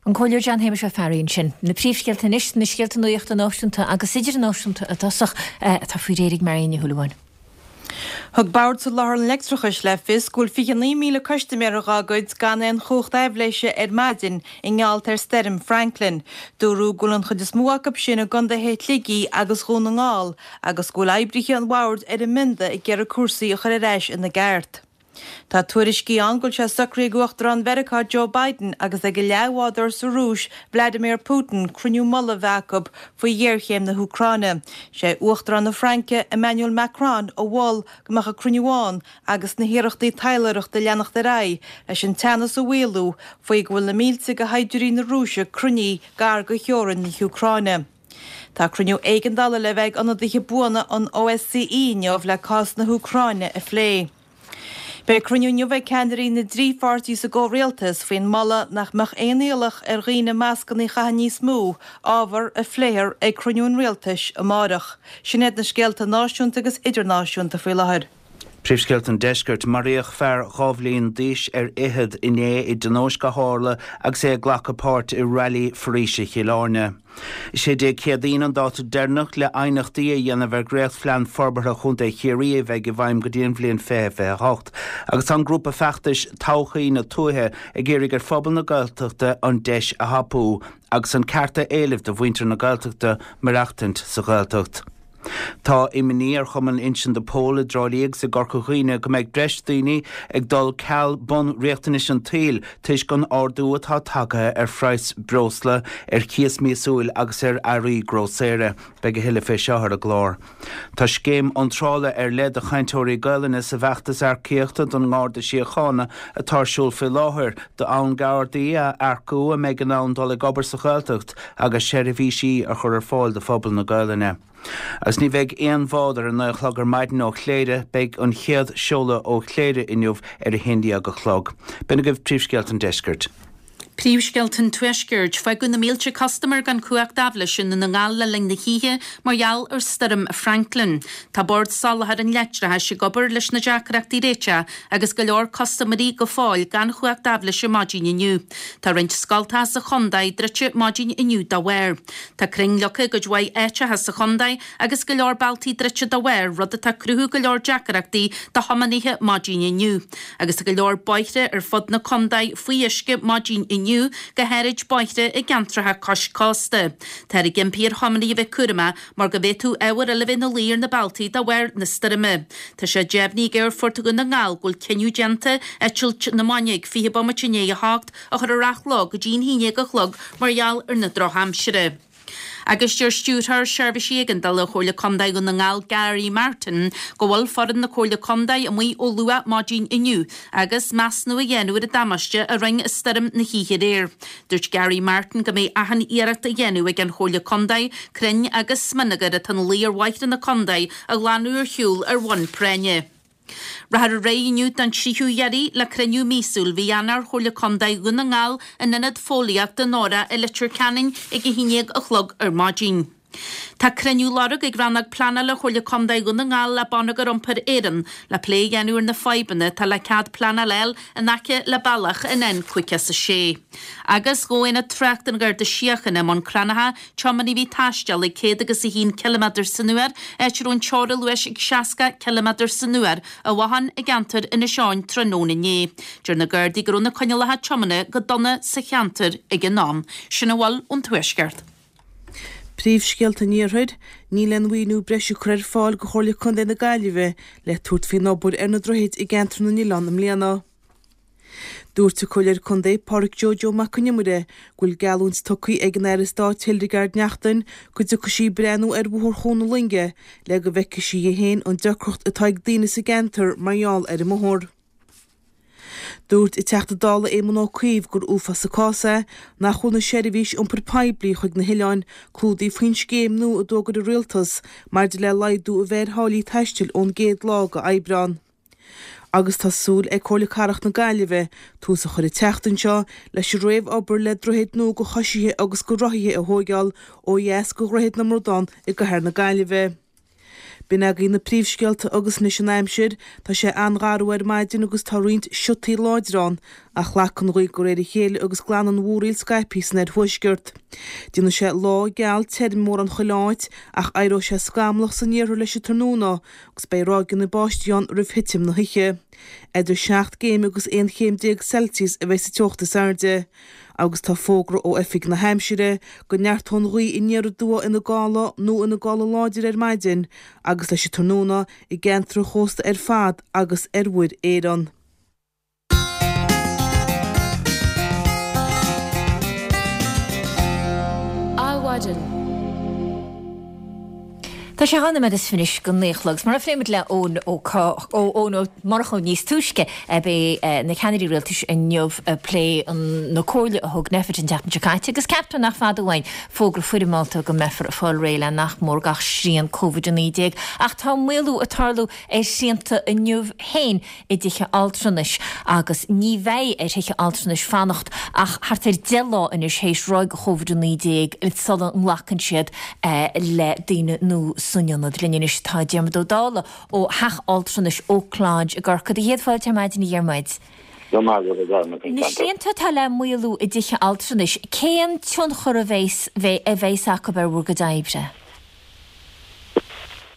An Comhairleoir John Shéamuis Ó Fearraigh ansin. Na príomhscéalta anois, na scéalta nuachta náisiúnta agus idirnáisiúnta i dtosach, atá faoi réir ag Marion Ní Shúilleabháin. Thug Bord Soláthair an Leictreachais le fios go bhfuil fiche naoi míle custaiméir dhá gcuid gan aon chumhacht aibhléise ar maidin i ngeall ar Stoirm Franklin. Dúradh go bhfuil an chuid is mó acu sin i gcontaetha Shligigh agus Dhún na nGall agus go bhfuil oibrithe an bhoird ar an mbionda ag iarraidh cúrsaí a chur ar ais ina gceart. Tá tuairiscí ann go bhfuil sé socraithe ag Uachtarán Mheiriceá Joe Biden agus ag a leathbhádóir sa Rúis Vladimir Putin cruinniú mullaigh a bheith acu faoi ghéarchéim na hÚcráine. Sé Uachtarán na Fraince Emmanuel Macron a mhol go mbeadh an cruinniú ann agus na hiarrachtaí taidhleoireachta ag leanacht ar aghaidh leis an teannas a mhaolú faoi go bhfuil na mílte de shaighdiúirí na Rúise cruinnithe gar do theorainn na hÚcráine. Tá cruinniú éigeandála le bheith ag ionadaithe buana an OSCE inniu le cás na hÚcráine a phlé. Beidh cruinniú inniu ag ceannairí na dtrí pháirtí sa gcomhrialtas faoin moladh nach mbeadh aon iallach ar dhaoine mascanna a chaitheamh níos mó, ábhar a phléifear ag cruinniú an rialtais amárach. Sin iad na scéalta náisiúnta agus idirnáisiúnta faoi láthair. Príomhscéalta an Deiscirt maraíodh fear dhá bhliain d'aois ar fhichead inné i dtionóisc a tharla agus é ag glacadh páirt i Railí Foraoise Chill Airne. Is é Dé Céadaoin an dáta deireanach le aighneachtaí a dhéanamh ar Dhréachtphlean Forbartha Chontae Chiarraí a bheidh i bhfeidhm go dtí an bhliain fiche fiche hocht, agus tá an grúpa feachtais Todhchaí na Tuaithe ag iarraidh ar phobal na Gaeltachta an deis a thapú agus an ceart a éileamh do mhuintir na Gaeltachta maireachtaint sa Ghaeltacht. Tá imní ar Chumann Uinseann de Pól i dTrá Lí agus i gCorca Dhuibhne go mbeidh breis daoine ag dul ceal bunriachtanais an tsaoil toisc an ardú atá tagtha ar phraghas breosla, ar chíos míosúil agus ar earraí grósaera. Beidh a thuilleadh fé seo ar an gclár. Tá scéim iontrála ar leith do chainteoirí Gaelainne sa bhfeachtas earcaíochta don nGarda Síochána atá ar siúl faoi láthair, d'fhonn Gardaí a earcú a mbeidh in ann dul ag obair sa Ghaeltacht agus seirbhísí a chur ar fáil do phobal na Gaelainne. Agus ní bheidh aon bhád ar a naoi a chlog ar maidin ó Chléire, beidh an chéad seoladh ó Chléire inniu ar a haon déag a chlog. B'in agaibh príomhscéalta an deiscirt. Príomhscéalta an Tuaiscirt. Fágadh na mílte custaiméir gan cumhacht aibhléise i nDún na nGall le linn na hoíche mar gheall ar Stoirm Franklin. Tá Bord Soláthair an Leictreachais ag obair leis na deacrachtaí a réiteach agus go leor custaiméirí go fóill gan chumhacht aibhléise maidin inniu. Tá roinnt scoltacha sa chontae druidte maidin inniu dá bharr. Tá crainn leagtha i gcuid mhaith áiteacha sa chontae agus go leor bealtaí druidte dá bharr, rud atá ag cruthú go leor deacrachtaí do thiománaithe maidin inniu. Agus tá go leor bóithre ar fud na contae faoi uisce maidin inniu, go háirid bóithre i gceantracha cois cósta. Táthar ag impí ar thiománaithe a bheith cúramach mar go bhféadfadh ábhair eile bheith ina luí ar na bealtaí de bharr na stoirme. Tá sé deimhnithe ag Aerfort Dhún na nGall go bhfuil cinneadh déanta eitilt na maidine ag fiche bomaite i ndiaidh a hocht a chur ar athló go dtí an haon déag a chlog mar gheall ar na drochaimsire. Agus deir Stiúrthóir Seirbhísí Éigeandála Chomhairle Contae Dhún na nGall Gary Martin go bhfuil foireann na Comhairle Contae amuigh ó luath maidin inniu agus measúnú á dhéanamh ar an damáiste a rinne stoirm na hoíche aréir. Dúirt Gary Martin go mbeidh achan iarracht á dhéanamh ag an Chomhairle Contae crainn agus smionagar atá ina luí ar bhóithre na contae a ghlanadh ar shiúl ar bhonn práinne. Rachfar ar aghaidh inniu don tríú iarraidh le cruinniú míosúil mhí Eanáir Chomhairle Contae Dhún na nGall in Ionad Fóillíochta Nóra i Leitir Ceanainn ag a haon déag a chlog ar maidin. Tá cruinniú á lorg ag Rannóg Pleanála Chomhairle Contae Dhún na nGall le Bonneagar Iompair Éireann le plé a dhéanamh ar na fadhbanna atá le cead pleanála a fháil in aice le bealach an N cúig is a sé. Agus ghabh Aonad Tráchta an Gharda Síochána i mBun Cranncha tiománaí a bhí ag taisteal ag céad agus a haon ciliméadar san uair, áit a raibh an teora luais ag seasca ciliméadar san uair, i bhothán i gceantar Inis Eoghain tráthnóna inné. Deir na Gardaí go raibh na coinníollacha tiomána go dona sa cheantar ag an am. Sin a bhfuil ón Tuaisceart. Príomhscéalta an Iarthair, Níl aon mhaoiniú breise curtha ar fáil do Chomhairle Contae na Gaillimhe le tabhairt faoin obair ar na droichid i gceantar na nOileán i mbliana. Dúirt an Comhairleoir Contae Pádraig Joe Joe Mac Con Iomaire go bhfuil geallúint tugtha ag an Aire Stáit Hildegarde Naughton go dtiocfaidh sí breathnú ar Bhóthar Chuan na Loinge le go bhfeicfidh sí í féin an deacracht atá ag daoine sa gceantar mar gheall ar an mbóthar. Dúirt an Teachta Dála Éamon Ó Cuív gur uafás an cás é nach bhfuil na seirbhís iompair poiblí chuig na hoileáin clúdaithe faoin scéim nua a d'fhógair an Rialtas maidir le laghdú a bheith ar tháillí taistil ón gcéad lá de Aibreán. Agus tá súil ag Comhairle Cathrach na Gaillimhe tús a chur an tseachtain seo leis an réamh-obair le droichead nua do choisithe agus do rothaithe a thóigeáil ó dheas de Dhroichead na mBradán i gcathair na Gaillimhe. B'in agaibh na príomhscéalta agus anois an aimsir, tá sé an-gharbh ar maidin agus tá roinnt siotaí láidre ann, ach glacfaidh an ghaoth de réir a chéile agus glanfaidh an mhúraíl scaipthe san oirthuaisceart. Déanfaidh sé lá geal tirim mórán chuile áit ach éireoidh sé scamallach san iarthar leis an tráthnóna agus beidh ráigeanna báistí ann roimh thitim na hoíche. Idir seacht gcéim agus aon chéim déag Celsius a bheidh sa teocht is airde. Agus tá fógra ó Oifig na hAimsire go neartóidh an ghaoth aniar aduaidh ina gála nó ina gála láidir ar maidin agus leis an tráthnóna i gceantar an chósta ar fad agus ar Mhuir Éireann. Adhmhaidin. Tá sé dhá nóiméad is fiche anois go naoi a chlog. Mar a phléigh muid le Eoin Ó Eoin Ó Murchú níos túisce, beidh na ceannairí rialtais inniu ag plé na comhairle a thug Nphet an tseachtain seo caite agus ceaptar nach fada uainn fógra foirmeálta go mbeifear ag fáil réidh le nach mór gach srian Covid a naoi déag. Ach tá maolú ag tarlú ar shrianta inniu féin i dtithe altranais agus ní bheidh ar thithe altranais fanacht ach thart ar deich lá anois théis ráig Covid a naoi déag sula nglacann siad le daoine nua san ionad. Linn anois tá Diarmuid Ó Dálaigh ó Theach Altranais Oak Lodge i gCorcaigh. Do chéad fáilte ar maidin a Dhiarmuid. Na srianta atá le maolú i dtithe altranais, cén tionchar a bheas a bheas acu ar bhur gcuid oibre?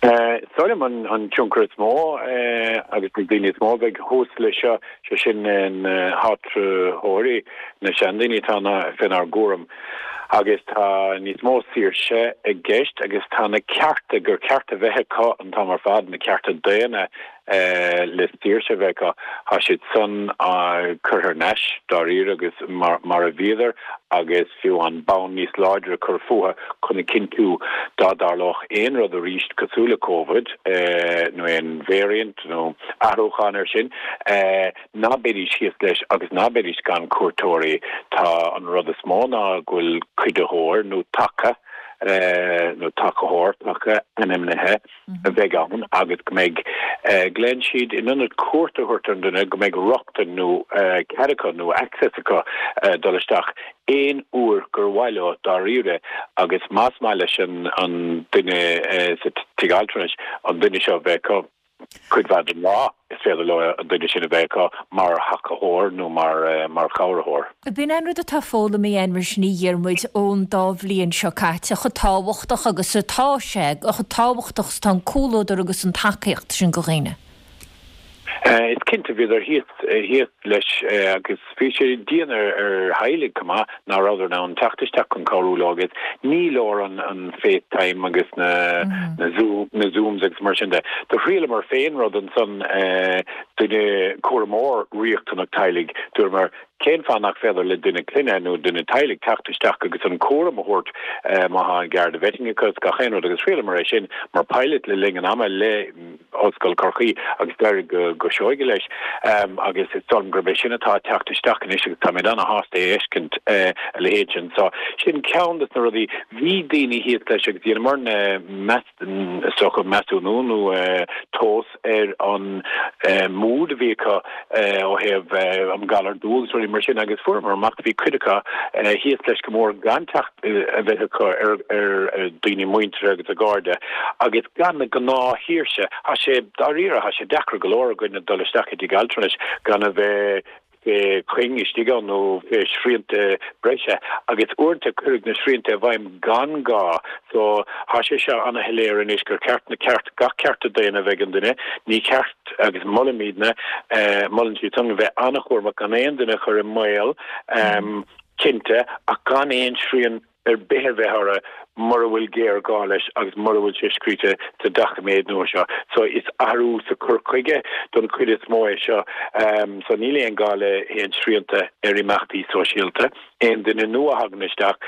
Is dóigh liom an tionchar is mó agus na daoine is mó a bheidh thuas leis seo, sé sin na háitritheoirí, na seandaoine atá fénár gcúram agus tá níos mó saoirse i gceist agus tá na cearta gur ceart a bheith acu an t-am ar fad, na cearta daonna le saoirse a bheith acu, tá siad san curtha thar n-ais dáiríre agus mar a bhíodar agus fiú an bonn níos láidre a chur fúthu chun a chinntiú dá dtarlódh aon rud arís cosúil le Covid nó aon variant nó athrúchán air sin, ná beidís thíos leis agus ná beidís gan cuairteoirí. Tá an rud is mó ná go bhfuil cuiditheoir nó taca nó tacaitheoir taca ainmnithe a bheidh ann agus go mbeidh, glaonn siad, in ionad cuairt a thabhairt ar an duine, go mbeidh rochtain nó cead acu nó access acu dul isteach aon uair gur mhaith leo dáiríre agus más maith leis an duine sa tigh altranais an duine seo a bheith acu. Cuid mhaith den lá, is féidir leo an duine sin a bheith acu mar thacaitheoir nó mar chabhraitheoir. B'in an rud atá foghlamtha againn mar sin a Dhiarmuid ón dá bhliain seo caite, chomh tábhachtach agus atá sé, chomh tábhachtach is atá an comhluadar agus an tacaíocht sin do dhaoine. Is cinnte, bhíodar thíos leis agus bhí sé dian ar theaghlaigh chomh maith ná rabhadar in ann teacht isteach chun cabhrú leo agus ní leor an FaceTime agus na Zooms agus mar sin de. Do thriaileamar féin rud ansan, duine, cúramóir riachtanach teaghlaigh, dúramar cén fáth nach féidir le duine clainne nó duine teaghlaigh teacht isteach agus an cúram a thabhairt má tá an Garda vetting acu is gach aon rud agus thriaileamar é sin mar pilot le linn an ama le Ollscoil Chorcaí agus d'éirigh go seoigh leis agus is dóigh liom gurb é sin atá ag teacht isteach anois agus táimid ana-shásta é a fheiscint, a leithéid sin. So, sin ceann de na rudaí. Bhí daoine thíos leis agus dheineamar-ne is dócha measúnú nó tomhas ar an mood a bhí acu ó thaobh an galar dubh agus rudaí mar sin agus fuaireamar amach bhí cuid acu thíos leis go mór gan teacht a bheith acu ar daoine muinteartha agus a gcairde agus gan na gnáthshaoirse. Tá sé, dáiríre, tá sé deacair go leor againne dul isteach i dtigh altranais gan a bheith fé chuing istigh ann nó fé shrianta breise agus uaireanta cuireadh na srianta i bhfeidhm gan gá. So, tá sé seo ana-shoiléir anois gur ceart na ceart, gach cearta daonna a bheith ag an duine. Ní ceart, agus molaimidne, molann siad san, a bheith ana-chúramach gan aon duine a chur i mbaol, cinnte, ach gan aon srian ar bith a bheith orthu mura bhfuil géarghá leis agus mura bhfuil sé scríte sa doiciméad nua seo. So is athrú sa chur chuige don chuid is mó é seo. So níl aon ghá le haon srianta ar imeachtaí sóisialta. Aon duine nua a thagann isteach,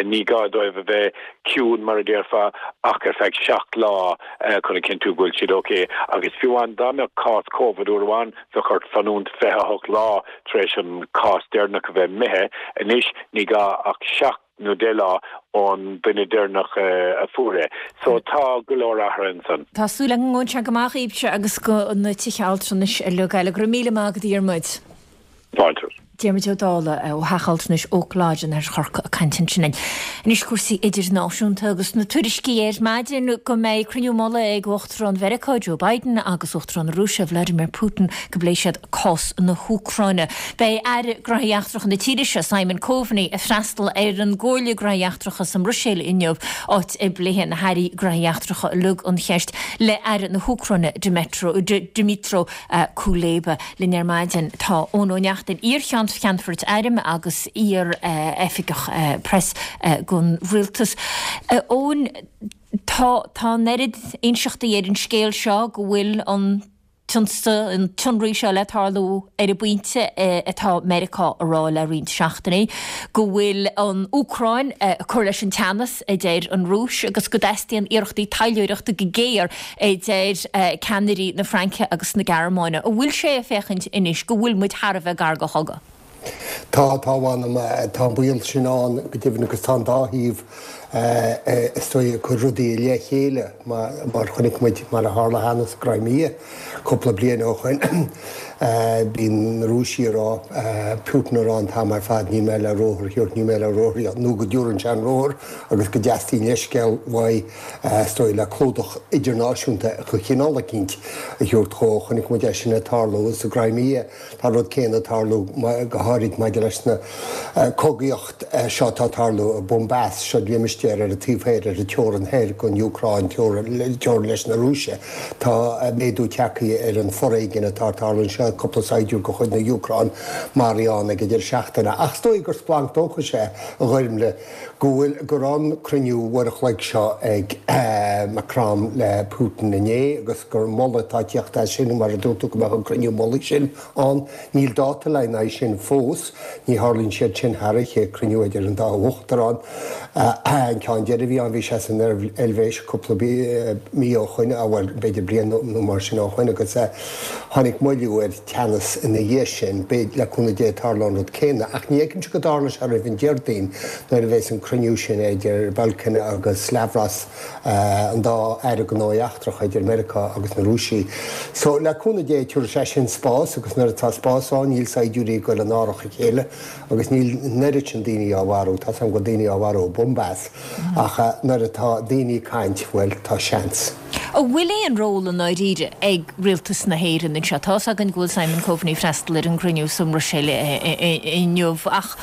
ní gá dóibh a bheith ciúin mar a déarfá ach ar feadh seacht lá chun a chinntiú go bhfuil siad ok. Agus fiú amháin dá mbeadh cás Covid uair amháin bheadh ort fanúint fiche a hocht lá tar éis an cás deireanach a bheith imithe. Anois ní gá ach seacht nó deich lá ón duine deireanach a fuair é. So tá go leor athraithe ansan. Tá súil agam go ngabhann sé go maith dhaoibhse agus do na tithe altranais uilig eile. Go raibh míle maith agat a Dhiarmuid. Fáilte. Diarmuid Ó Dálaigh ó Theach Altranais Oak Lodge in Oirthear Chorcaí ag caint ansin linn. Anois cúrsaí idirnáisiúnta agus na tuairiscí ar maidin go mbeidh cruinniú mullaigh ag Uachtarán Mheiriceá Joe Biden agus Uachtarán na Rúise Vladimir Putin go bpléifidh siad cás na hÚcráine. Beidh Aire Gnóthaí Eachtracha na tíre seo, Simon Coveney, ag freastal ar an gComhairle Gnóthaí Eachtracha sa mBruiséil inniu, áit a bpléifidh na hAirí Gnóthaí Eachtracha uilig an cheist le Aire na hÚcráine, Dmytro Kuleba. Linn ar maidin tá Eoin Ó Neachtain, iar-Cheann Cheannfoirt Airm agus iar-oifigeach preas don rialtas. Eoin, tá tá an oiread inseachtaí ar an scéal seo go bhfuil an t-ionsaí, an t-ionradh seo le tarlú ar an bpointe atá Meiriceá a rá le roinnt seachtainí, go bhfuil an Úcráin ag cur leis an teannas, a deir an Rúis, agus go dteastaíonn iarrachtaí taidhleoireachta go géar, a deir ceannairí na Fraince agus na Gearmáine. An bhfuil sé ag féachaint anois go bhfuil muid thar a bheith gar do chogadh? Tá, tá, a mh'anam, tá an baol sin ann go deimhin agus tá an dá thaobh is dóigh, ag cur rudaí le chéile mar chonaic muid mar a tharla cheana sa gCrimea cúpla bliain ó shoin. Bíonn na Rúisigh ag rá, Putin ag rá an t-am ar fad níl mé le ruathar a thabhairt, níl mé le ruathar a thabhairt, nó go dtabharann sé an ruathar agus go dteastaíonn leithscéal uaidh is dóigh le clúdach idirnáisiúnta de chineál eicínt a thabhairt dhó. Chonaic muid é sin ag tarlú sa gCrimea. Tá an rud céanna ag tarlú go háirid maidir leis na cogaíocht seo atá ag tarlú i Donbas, seo limistéar ar an taobh thoir, ar an teorainn thoir den Úcráin, teorainn leis na Rúise. Tá méadú tagtha ar an foréigean atá ag tarlú anseo, cúpla saighdiúir de chuid na hÚcráine maraithe ann ag an deireadh seachtaine. Ach is dóigh gur splanc dóchais é, a Ghoirmle, go bhfuil, go raibh an cruinniú uair a chloig seo ag Macron le Putin inné agus gur moladh atá ag tíocht as sin, mar a dúirt tú, go mbeadh an cruinniú mullaigh sin ann. Níl dáta le haghaidh sin fós. Ní tharlaíonn siad sin thar oíche, cruinniú idir an dá uachtarán. An ceann deiridh a bhí ann, bhí sé san Eilvéis cúpla mí ó shoin, bhuel, b'fhéidir bliain nó mar sin ó shoin, agus tháinig moilliú ar teannas ina dhiaidh sin. B'fhéidir, le cúnamh Dé, tarlóidh an rud céanna. Ach ní fheicimse go dtarlóidh sé roimh an Déardaoin, nuair a bheas an cruinniú sin idir Blinken agus Lavrov, an dá aire gnóthaí eachtracha idir Meiriceá agus na Rúisigh. So, le cúnamh Dé, tabharfaidh sé sin spás agus nuair atá spás ann, níl saighdiúirí ag goil in árach a chéile agus níl an oiread sin daoine á mharú. Tá's agam go bhfuil daoine á mharú i Donbas ach nuair atá daoine ag caint, bhuel, tá seans. An bhfuil aon ról i ndáiríre ag Rialtas na hÉireann anseo? Tá's againn go bhfuil Simon Coveney ag freastal ar an gcruinniú sa mBruiséil inniu ach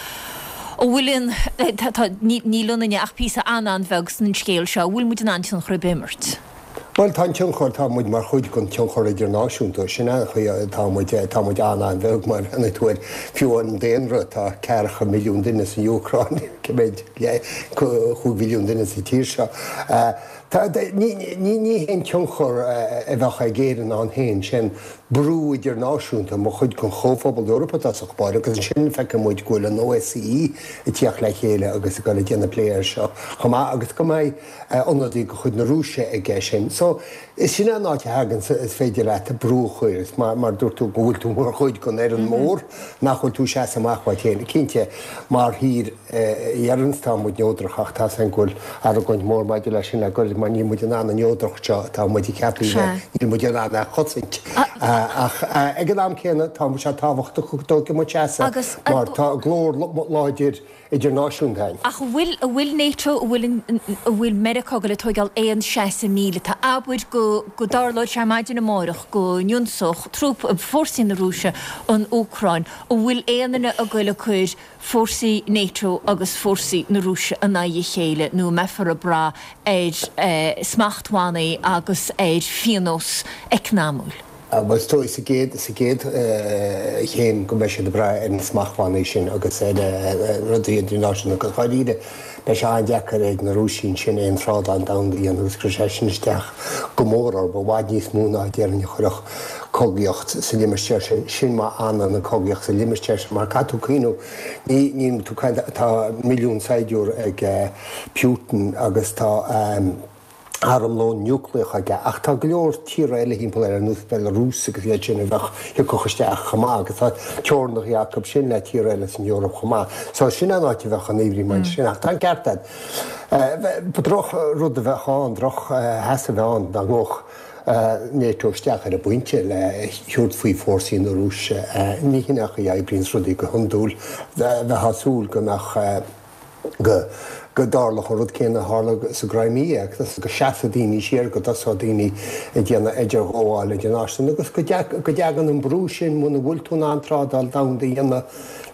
an bhfuil aon, tá, níl ionainne ach píosa an-an-bheag san scéal seo, an bhfuil muid in ann tionchar ar bith a imirt? Bhuel, tá an tionchar, tá muid mar chuid den tionchar idirnáisiúnta, sin an chaoi atá muid, tá muid an-an-bheag má bhreathnaíonn tú ar fiú an daonra, tá ceathracha milliún duine san Úcráin, cé mhéad, chúig mhilliún duine sa tír seo. Tá, ní, ní, ní haon tionchar a bheadh ag Éirinn ann féin, sin brú idirnáisiúnta mar chuid den Chomhphobal Eorpach i dtosach báire agus ansin feiceann muid go bhfuil an OSCE ag tíocht le chéile agus ag dul ag déanamh plé air seo chomh maith agus go mbeidh ionadaí de chuid na Rúise aige sin. So, is sin an áit a thagann is féidir leat brú a chur, is mar mar dúirt tú go bhfuil tú mar chuid den fhoireann mór, nach bhfuil tú ag seasamh amach uait féin. Cinnte, mar thír a dheireanns tá muid neodrach ach tá's againn go bhfuil argóint mór maidir leis sin le goirid mar níl muid in ann an neodracht seo atá muid ag ceapadh a bheith, níl muid in ann é a chosaint. Ach ag an am céanna tá sé tábhachtach go dtógfaidh muid seasamh mar tá glór láidir idirnáisiúnta againn. Ach an bhfuil, an bhfuil NATO, an bhfuil, an bhfuil Meiriceá ag goil ag tóigeáil aon seasamh míleata? Abair go, go dtarlódh sé maidin amárach go n-ionsódh trúp, fórsaí na Rúise an Úcráin, an bhfuil aon duine ag goil ag cur fórsaí NATO agus fórsaí na Rúise in aghaidh a chéile nó an mbeifear ag brath ar smachtbhannaí agus ar phionós eacnamúil? Bhuel, is dóigh sa gcéad, sa gcéad chéim go mbeidh siad ag brath ar na smachtbhannaí sin agus ar rudaí idirnáisiúnta. Go háirithe, beidh sé an-deacair ag na Rúisigh ansin aon trádáil domhanda a dhéanamh agus cuirfidh sé sin isteach go mór orthu, i bhfad níos mó ná déarfainn a chuirfeadh cogaíocht sa limistéar sin. Sin má fhanann an chogaíocht sa limistéar sin mar caithfidh tú cuimhniú, ní, níl tú ag caint, tá milliún saighdiúir ag Putin agus tá, armlón núicléach aige, ach tá go leor tíortha eile thimpeall air, ar nós Belarus agus iad sin a bheadh, thiocfadh isteach chomh maith, agus tá teorainneacha acu sin le tíortha eile san Eoraip chomh maith. So sin an áit a bheadh an imní maidir sin, ach tá an ceart agat. Ba droch rud a bheadh ann, droch sheasamh a bheadh ann dá ngabhfadh NATO isteach ar an bpointe le thabhairt faoi fórsaí na Rúise. Ní hin an chaoi a oibríonns rudaí go hiondúil. Bheifeá ag súil go mbeadh. go go dtarlódh an rud céanna a tharla sa gCrimea, agus go seasfadh daoine siar, go dtosódh daoine ag déanamh idirghabháil idirnáisiúnta, agus go go dtagann an brú sin, muna bhfuil tú in ann trádáil domhanda a dhéanamh,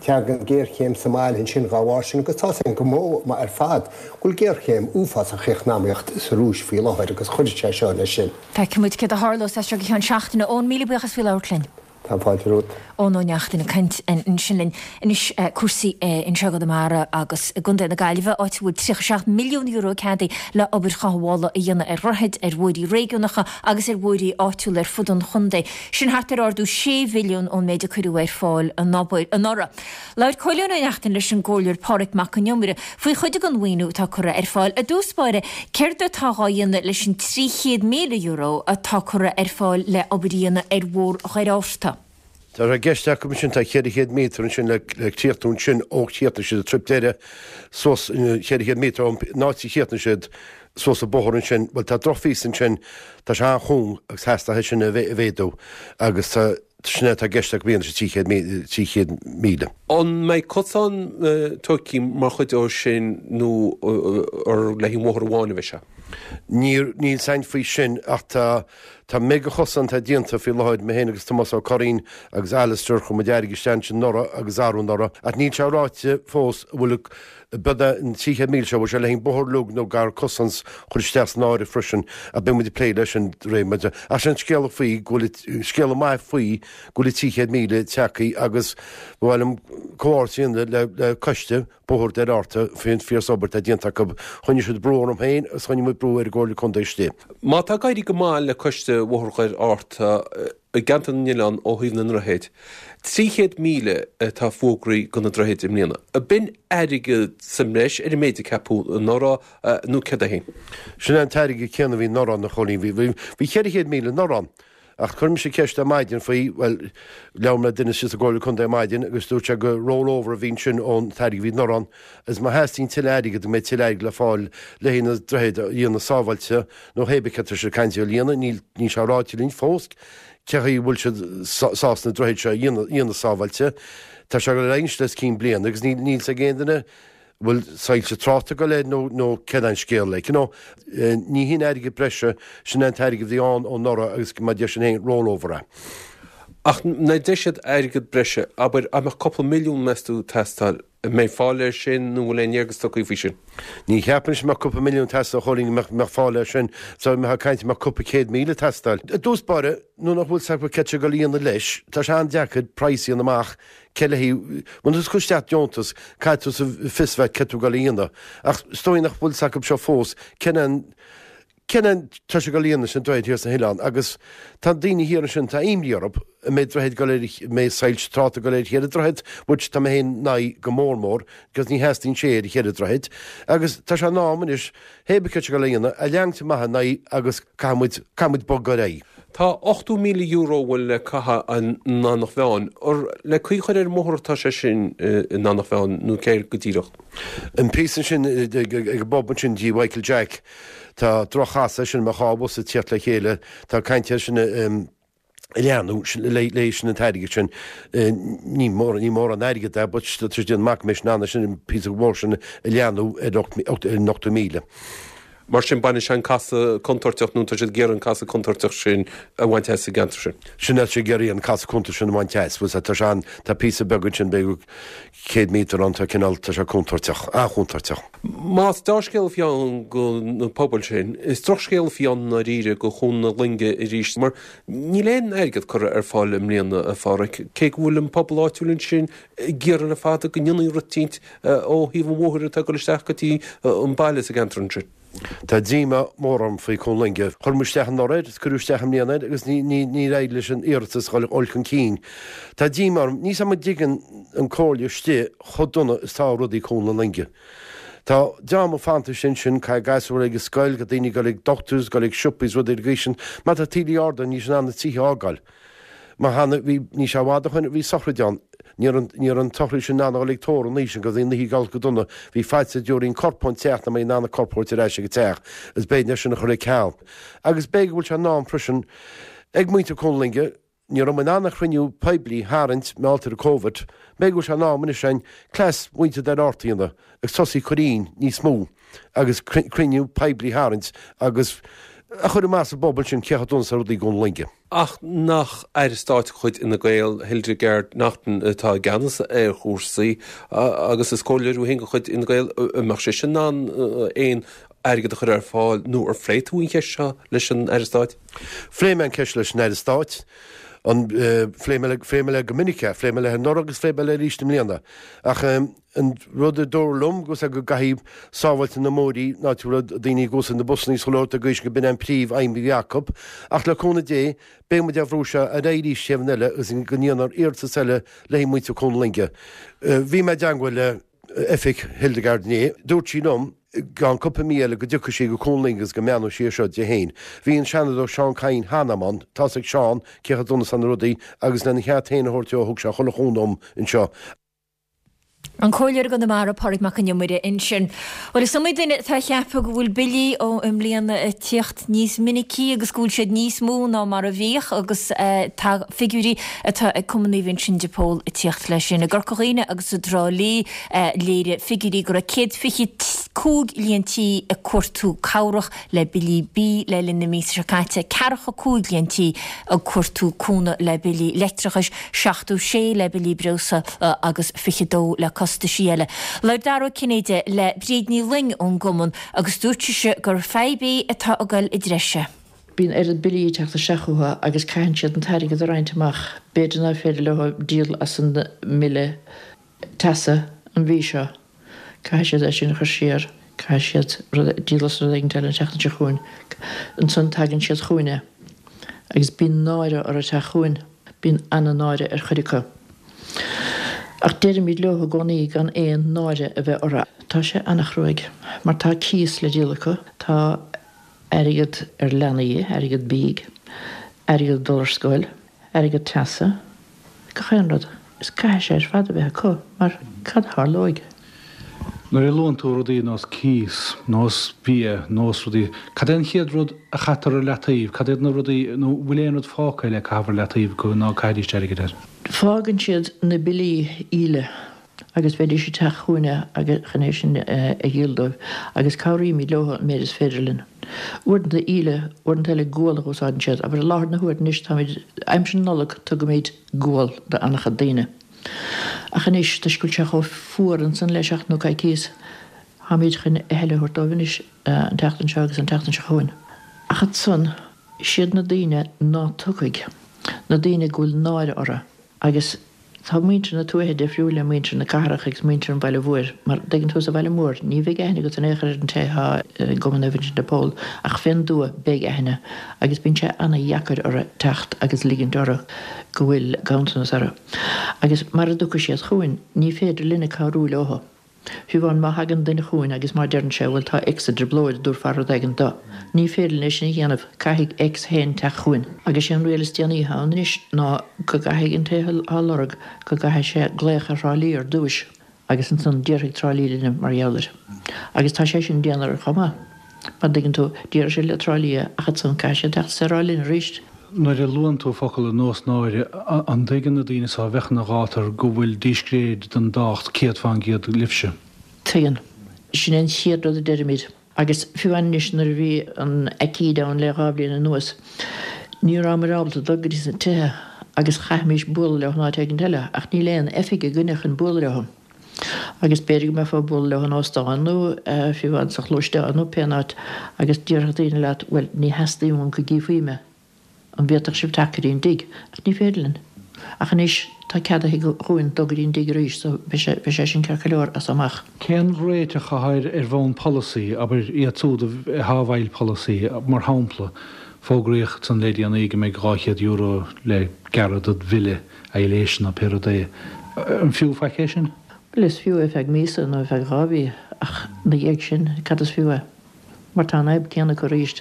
tagann géarchéim sa mbaile ansin dá bharr sin, agus tá's againn go maith ar fad go bhfuil géarchéim uafásach eacnamaíocht sa Rúis faoi láthair, agus chuirfeadh sé seo leis sin. Feicfidh muid céard a tharlós as seo go ceann seachtaine. Eoin, míle buíochas faoi labhairt linn. Tá fáilte romhat. Eoin Ó Neachtain ag caint ansin linn. Anois cúrsaí anseo i gConamara agus i gContae na Gaillimhe, áit a bhfuil tríocha seacht milliún euro ceadaithe le obair chothabhála a dhéanamh ar dhroichid, ar bhóithrí réigiúnacha agus ar bhóithrí áitiúla ar fud an chontae. Sin thart ar ardú sé mhilliún ón méid a cuireadh ar fáil anuraidh. Labhair Cóilín Ó Neachtain leis an gComhairleoir Pádraig Mac Con Iomaire faoi chuid den mhaoiniú atá curtha ar fáil. I dtús báire, céard atá dhá dhéanamh leis an trí chéad míle euro atá curtha ar fáil le obair a dhéanamh ar Bhóthar Dhoire Fhatharta? Tá sé i gceist acu ansin, tá ceithre chéad méadar ansin le críochnú ansin ó chríochnaigh siad an trip deiridh suas ceithre chéad méadar ón áit a chríochnaigh siad suas an bóthar ansin. Bhuel tá drochphíosa ansin, tá sé an-chúng agus theastaigh é sin a mhéadú agus tá sin é atá i gceist acu a dhéanamh sa trí chéad míle. An mbeidh cosán tógtha mar chuid dó sin nó ar le haghaidh an bhóthair amháin a bheidh sé? Níl níl 's a'inn faoi sin ach tá tá méid de chosán atá déanta faoi láthair, mé féin agus Tomás Ó Curraoin agus Alistair, chuir muid airgead isteach ansin anuraidh agus arú anuraidh ach níl sé ráite fós an bhfuil beidh an trí chéad míle seo, bhfuil sé le haghaidh an bóthar uilig nó gar cosán chur isteach san áireamh freisin ach beidh muid ag plé leis sin de réir mar ach sin scéala faoi go bhfuil scéala maith faoi go bhfuil trí chéad míle tagtha agus ba mhaith liom comhghairdeas a dhéanamh le le coiste Bóthar Dhoire Fhatharta faoin fíor obair atá déanta acu. Choinnigh siad brú orm féin agus choinnigh muid brú ar an gComhairle Contae istigh. Má tá ag éirí go maith le Coiste Bhóthar Dhoire Fhatharta i gceantar na nOileán ó thaobh na ndroichead, trí chéad míle atá fógraithe do na droichid i mbliana. Ab in airgead sa mbreis ar an méid a ceapadh anuraidh nó céard é féin? Sin é an t-airgead céanna a bhí anuraidh, a Chóilín. Bhí cheithre chéad míle anuraidh ann. Ach chuir mise ceist ar maidin faoi, bhuel, labhair mé le duine sa gComhairle Contae ar maidin agus dúirt sé gur roll over a bhí ansin ón t-airgead a bhí anuraidh ann agus má theastaíonn tuilleadh airgid go mbeidh tuilleadh airgid le fáil le haghaidh na droichid a dhéanamh sábháilte nó hé bith céard tá siad ag caint a dhéanamh, níl níl sé ráite linn fós cé chaoi a bhfuil siad sásta na droichid seo a dhéanamh sábháilte. Tá sé ag dul ar aghaidh anois le os cionn bliana agus níl níl 's ag aon duine bhfuil soilse tráchta ag dul air nó nó céard é an scéal like you know. Ní hin airgead breise, sin é an t-airgead a bhí ann ó anuraidh agus mar a deir sin féin roll over é. Ach nuair a deir siad airgead breise, abair, an mbeadh cúpla milliún meas tú ag teastáil, an mbeidh fáil air sin nó bhfuil aon léargas tugtha faoi sin? Ní cheapaim go mbeadh cúpla milliún ag teastáil a Chóilín go mbeadh fáil air sin, so mbeifeá ag caint go mbeadh cúpla céad míle ag teastáil. I dtús báire, nuair nach bhfuil 's acu céard tá siad ag dul a dhéanamh leis, tá sé an-deacair praghas a dhéanamh amach Cé le haghaidh, nuair atá tú ag cur isteach deontas, caithfidh tú fios a bheith céard tá tú ag dul a dhéanamh. Ach is dóigh nach bhfuil 's acu seo fós cén an, cén an tá sé ag dul a dhéanamh leis na droichid thiar sna hoileáin agus tá daoine thiar ansin, tá imní orthu an mbeidh droichead ag dul ar, an mbeidh soilse tráchta ag dul ar cheithre droichead, which tá mé féin in aghaidh go mór mór because ní theastaíonn sé ar cheithre droichead. Agus tá sé in am anois, hé bith céard tá sé ag dul a dhéanamh, a leanúint amach in aghaidh agus caithfidh muid, caithfidh muid bogadh ar aghaidh. Tá ochtó míle euro a bhfuil le caitheamh in Eanach Mheáin. Ar le caoi a chur ar an mbóthar atá sé sin in Eanach Mheáin nó céard go díreach? An píosa ansin ag an bpub ansin dtí Mhichael Jack, tá droch-chasadh ansin, mbeadh dhá bhus ag tíocht le chéile, tá caint air sin a leathnú leis sin an t-airgead sin. Ní mór, ní mórán airgead é but tá sé déanamh amach go mbeidh sin ann sin an píosa mhór sin a leathnú ar an ochtó míle. Mar sin, baineann sé an casadh contúirteach, nó tá siad ag iarraidh an casadh contúirteach sin a bhaint as sa gceantar sin. Sin é, tá siad ag iarraidh an casadh contúirteach sin a bhaint as. Bhuel, tá sé an, tá píosa beag ansin, b'fhéidir céad míotar ann, tá cineál, tá sé contúirteach, an-chontúirteach. Más dea-scéal a bhí ann do na pobail sin, is drochscéal a bhí ann i ndáiríre do Chuan na Loinge arís, mar níl aon airgead curtha ar fáil i mbliana, a Pháraic, cé go bhfuil an pobal áitiúil ansin ag iarraidh le fada go ndéanfaí rud eicínt ó thaobh an bhóthair atá ag dul isteach go dtí an baile sa gceantar ansin. Tá díomá mór orm faoi Cuan Loinge. Chuir muid isteach anuraidh air, is cuireadh isteach i mbliana air agus níor éirigh leis an iarratas dhul chun cinn. Tá díomá orm. Níl 's a'm an dtuigeann an comhairle istigh chomh dona is tá rudaí i Cuan na Loinge. Tá dream ag fanacht ansin, caithfidh gasúir ag an scoil, caithfidh daoine dul ag doctors, dul ag siopaí is rudaí ar an gcaoi sin. Má tá taoillí arda níl siad in ann na tithe a fhágáil. Mar cheana, bhí, níl sé i bhfad ó shoin, bhí sochraid ann. Ní raibh an, ní raibh an tsochraid sin in ann a dhul ag tórramh an oíche sin agus bhí an oíche ag dul go dona. Bhí faitíos go dtabharfaí an corp ón teach nach mbeidh in ann an corp a thabhairt ar ais ag an teach agus b'éigean é sin a chur ar ceal. Agus b'fhéidir go bhfuil sé in am freisin ag muintir Chuan na Loinge, ní raibh muid in ann an chruinniú poiblí a tharraingt mar gheall ar an Covid, b'fhéidir go bhfuil sé in am anois againn cleas mhuintir Dhoire Fhatharta a dhéanamh agus tosaí a chur inn níos mó agus cruinniú poiblí a tharraingt agus a chur amach sa bpobal sin cé chomh dona is atá rudaí i gCuan na Loinge. Ach nach Aire Stáit de chuid Fhine Gael, Hildegarde Naughton, atá i gceannas ar chúrsaí agus is comhairleoir í féin de chuid Fhine Gael, an mbeadh sise in ann aon airgead a chur ar fáil nó ar phléigh tú an cheist seo leis an Aire Stáit? Phléigh mé an ceist leis an Aire Stáit. An, phléigh mé phléigh mé léi go minic é, phléigh mé léi anuraidh agus phléigh mé léi arís i mbliana. Ach an rud a dúradh liom go go gcaithfidh sábháilte na mbóithrí ná go bhfuil daoine ag úsáid na busanna is chuile shórt ag gaois go b'in an príomh aidhm a bhí acu. Ach le cúnamh Dé, beidh muid á bhrú seo ar aghaidh arís taobh eile agus go ndéanfar iarratas eile le haghaidh muintir Chuan na Loinge. Bhí mé i dteangmháil le oifig Hildegarde inné. Dúirt sí liom I gceann cúpla mí eile go dtiocfaidh sí go Cuan Loinge agus go mbeannóidh sí air seo di féin. Bhí an Seanadóir Seán Kyne cheana ann, tá's ag Seán cé chomh dona is atá na rudaí agus lena cheart féin a thabhairt dó thug sé chuile chúnamh dom anseo. An Comhairleoir i gConamara, Pádraig Mac Con Iomaire ansin. Bhuel, is iomaí duine atá ag ceapadh go bhfuil billí ó i mbliana ag tíocht níos minicí agus go bhfuil siad níos mó ná mar a bhíodh agus tá figiúirí atá ag Cumann Naomh Uinseann de Pól ag tíocht leis sin. I gCorca Dhuibhne agus i dTrá Lí léirigh figiúirí go raibh céad fiche cúig líon tí ag cuartú cabhrach le billí bídh le linn na míosa seo caite, ceathracha cúig líon tí ag cuartú cúnamh le billí leictreachais, seachtó sé le billí breosla agus fiche dó le costaisí eile. Labhair Dara Ó Cinnéide le Bríd Ní Fhloinn ón gcumann agus dúirt sise gur fadhb í atá ag dul i dtreise. Bíonn oiread billí ag teacht isteach chucu agus caitheann siad an t-airgead a roinnt amach. B'fhéidir nach féidir leo díol as an mbille teasa an mhí seo. Caithfidh siad é sin a chur siar. Caithfidh siad rud, díol as rud éigin eile an tseachtain seo chugainn. Ansan tagann siad chugainne agus bíonn náire orthu teacht chugainn. Bíonn ana-náire ar chuid acu. Ach deirimid leo i gcónaí gan aon náire a bheith orthu. Tá sé ana-chruaidh mar tá cíos le díol acu, tá airgead ar leanaí, airgead bídh, airgead dul ar scoil, airgead teasa, gach aon rud. Is caithfidh sé ar fad a bheith acu mar cad a tharlóidh? Nuair a luann tú rudaí nós cíos, nós bia, nós rudaí, cad é an chéad rud a chaitear ar leataobh? Cad iad na rudaí, nó bhfuil aon rud fágtha le caitheamh ar leataobh go ná caithfidís airgead air? Fágann siad na billí íle agus bheidís ag teacht chugainne agus chun é sin a dhíol dóibh agus cabhraímid leo an méid is féidir linn. Uaireanta íle, uaireanta eile gual a úsáideann siad. Abair i láthair na huaire anois táimid, aimsir na Nollag tugaimid gual d'an-chuid daoine. Ach anois, toisc go bhfuil sé chomh fuar ansan le seachtain nó coicíos, táimid chun a thuilleadh a thabhairt dóibh anois an tseachtain seo agus an tseachtain seo chugainn. Ach ansan, siad na daoine ná tiocfaidh, na daoine go bhfuil náire orthu. Agus tá muintir na tuaithe difriúil le muintir na cathrach agus muintir an bhaile mhóir, mar, dtuigeann tú, sa bhaile mór, ní bheidh aithne agat in aon chor ar an té atá i gCumann Naomh Uinseann de Pól, ach fén dtuath, beidh aithne, agus bíonn sé ana-dheacair orthu teacht agus ligint orthu go bhfuil ganntanas orthu. Agus mara dtiocfaidh siad chugainn, ní féidir linne cabhrú leo. Fiú amháin má thagann duine chugainn agus má deireann sé, bhuel, tá X i dtrioblóid, an dtabharfá rud éigin dó. Ní féidir linn é sin a dhéanamh, caithfidh X féin teacht chugainn. Agus sé an riail is déanaí atá ann anois ná go gcaithfidh an té atá á lorg, go gcaithfidh sé glaoch ar Thrá Lí ar dtúis. Agus ansan déarfaidh Trá Lí linne mar gheall air. Agus tá sé sin dian orthu chomh maith. Mar dtuigeann tú, déarfaidh siad le Trá Lí é, ach ansan caithfidh siad teacht is é a rá linn arís. Nuair a luann tú focal ar nós náire, an dtuigeann na daoine so a bheadh ina ghátar go bhfuil díscréid den dtábhacht céad fán gcéad libhse? Tuigeann. Sin é an chéad rud a deirimid. Agus fiú amháin anois nuair a bhí an aicíd ann le dhá bhliain anuas, ní rabhamar ábalta dul go dtí sna tithe agus chaithfimis bualadh leo in áit éigint eile, ach níl aon oifig againne chun bualadh leo. Agus b'fhéidir go mbeifeá ag bualadh leo in óstán nó fiú amháin sa ghluaisteán nó pé áit agus déarfadh daoine leat, bhuel, ní theastaíonn uaim go gcífí mé. An bhféadfadh sibh teacht go dtí an dtigh? Ach ní féidir linn. Ach anois tá ceadaithe dhúinn dul go dtí an dtigh arís so beidh sé, beidh sé sin ceart go leor as so amach. Cén réiteach atá air ar bhonn polasaí, abair, iad siúd atá i bhfeighil polasaí, mar shampla, fógraíodh ansan le déanaí go mbeidh dhá chéad euro le gearradh dod bhille aibhléise nó pé rud é. An fiú faic é sin? Bhuel, is fiú é ar feadh míosa nó ar feadh dhá mhí ach ina dhiaidh sin, cad is fiú é? Mar tá an fhadhb céanna acu arís.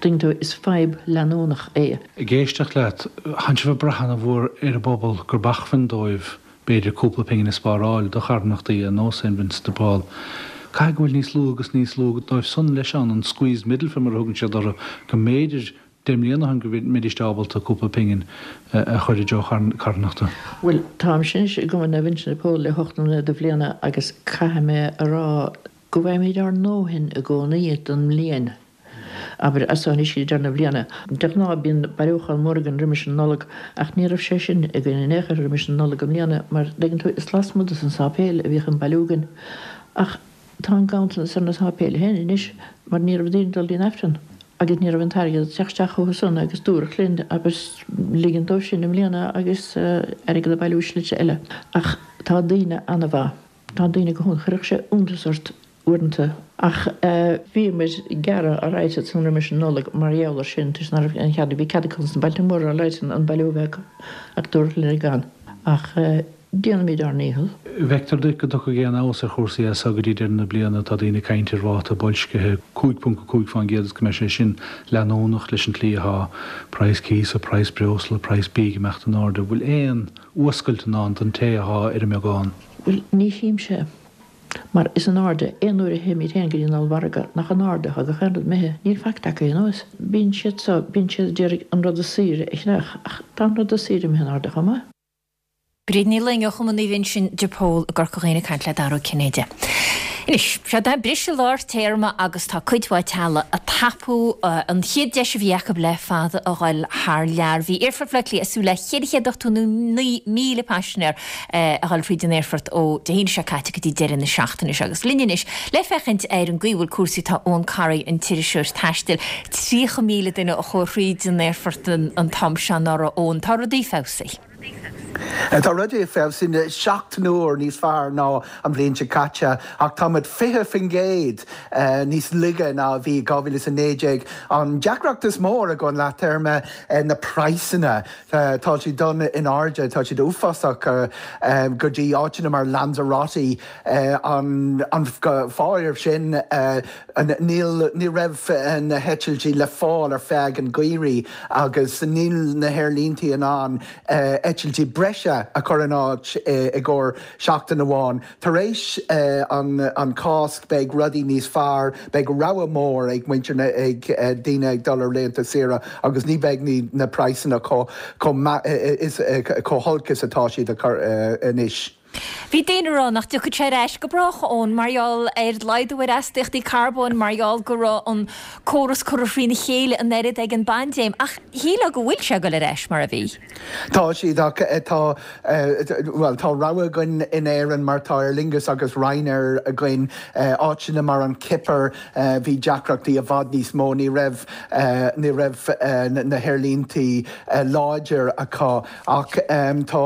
Tuigeann tú, is fadhb leanúnach é. Ag éisteacht leat, thánn sibh ag brath ana-mhór ar an bpobal gurb acmhainn dóibh b'fhéidir cúpla pingin a spáráil do charthanachtaí ar nós Saint Vincent de Paul. Caithfidh go bhfuil níos lú agus níos lú dóibh san leis ann, an squeezed middle mar a thugann siad orthu, go mb'fhéidir deich mbliana ó shin go mbeidís ábalta cúpla pingin a chur i dtreo carthanachta. Bhuel, táimse anois i gCumann Naomh Uinseann de Pól le hocht mbliana de bhliana agus caithfidh mé a rá go bhfaighimid ár ndóthain i gcónaí don mbliain, abair, as so anois go dtí deireadh na bliana. De ghnáth bíonn bailiúchán mór againn roimis an Nollaig ach ní raibh sé sin againn in aon chor roimis an Nollaig i mbliana mar, dtuigeann tú, is lasmuigh dos an sáipéal a bhíodh an bailiú againn. Ach tá an ganntanas ar na sáipéil féin anois mar ní raibh daoine ag dul dtí an Aifreann agus ní raibh an t-airgead ag teacht isteach chucu san agus dúradh linn, abair, ligean dóibh sin i mbliana agus airgead a bhailiú i slite eile. Ach tá daoine ana-mhaith. Tá daoine go hiontach, chuirfeadh sé iontas ort uaireanta. Ach bhíomar ag gearradh alright ansan roimis an Nollaig mar gheall ar sin, toisc nach raibh aon chead, bhí cead acu sna bailte móra alright an bailiú a bheith acu ach dúradh linn gan. Ach Déanaimid ár ndícheall. Feictear duit go dtiocfaidh aon fheabhas ar chúrsaí as seo go dtí deireadh na bliana, tá daoine ag caint ar ráta boilscithe cúig ponc a cúig fán gcéad agus go mbeidh sé sin leanúnach leis an tslí atá praghas cíosa, praghas breosla, praghas bídh ag imeacht in airde. Bhfuil aon fhuascailt i ndán don té atá ar an mbeagán? Bhuel, ní chímse. Mar is in airde, aon uair a théimid féin go dtí an ollmhargadh, nach in airde atá gach aon rud imithe, níl faic tagtha anuas. Bíonn siad so, bíonn siad a d'iarraidh an rud is saoire a cheannach, ach tá an rud is saoire imithe in airde chomh maith. Bríd Ní Fhloinn ó Chumann Naomh Uinseann de Pól i gCorca Dhuibhne ag caint le Dara Ó Cinnéide. Anois, seo é briseadh lár téarma agus tá cuid mhaith teaghlaigh ag tapú an chéad deis a bhí acu le fada a ghoil thar lear. Bhí Aerfort Bhaile Átha Cliath ag súil le ceithre chéad ochtó naoi míle paisinéir a ghoil fríd an aerfort ó Dé hAoine seo caite go dtí deireadh na seachtaine seo. Agus linn anois le féachaint ar an gcaoi a bhfuil cúrsaí tá Eoin Corry, an t-iriseoir taistil. Tríocha míle duine a chuaigh thríd an aerfort an t-am seo anuraidh, Eoin. Tá rudaí feabhsaithe. Tá rudaí feabhsaithe seacht n-uair níos fearr ná an bhliain seo caite ach táimid fiche faoin gcéad níos laige ná a bhí dhá mhíle is a naoi déag. An deacracht is mó ag an leath téarma na praghsanna. Tá siad dul in airde, tá siad uafásach go dtí áiteanna mar Lanzarote. An fáth air sin níl ní raibh na heitiltí le fáil ar feadh an gheimhridh agus níl na haerlíntí in ann eitiltí breise a chur in áit i gcomhair seachtain amháin. Tar éis an Cháisc beidh rudaí níos fearr, beidh rogha mór ag muintir na ag daoine ag dul ar laethanta saoire agus ní bheidh na praghsanna chomh chomh holc is atá siad anois. Bhí daoine ag rá nach dtiocfadh sé ar ais go brách Eoin mar gheall ar laghdú ar astaíochtaí carbóin mar gheall go raibh an córas curtha thrína chéile an oiread ag an bpaindéim ach shílfeá go bhfuil sé ag dul ar ais mar a bhí. Tá siad ach tá bhuel tá rogha againn in Éirinn mar tá Aer Lingus agus Ryanair againn áiteanna mar an Chipir bhí deacrachtaí i bhfad níos mó ní raibh ní raibh na haerlíntí láidir acu ach tá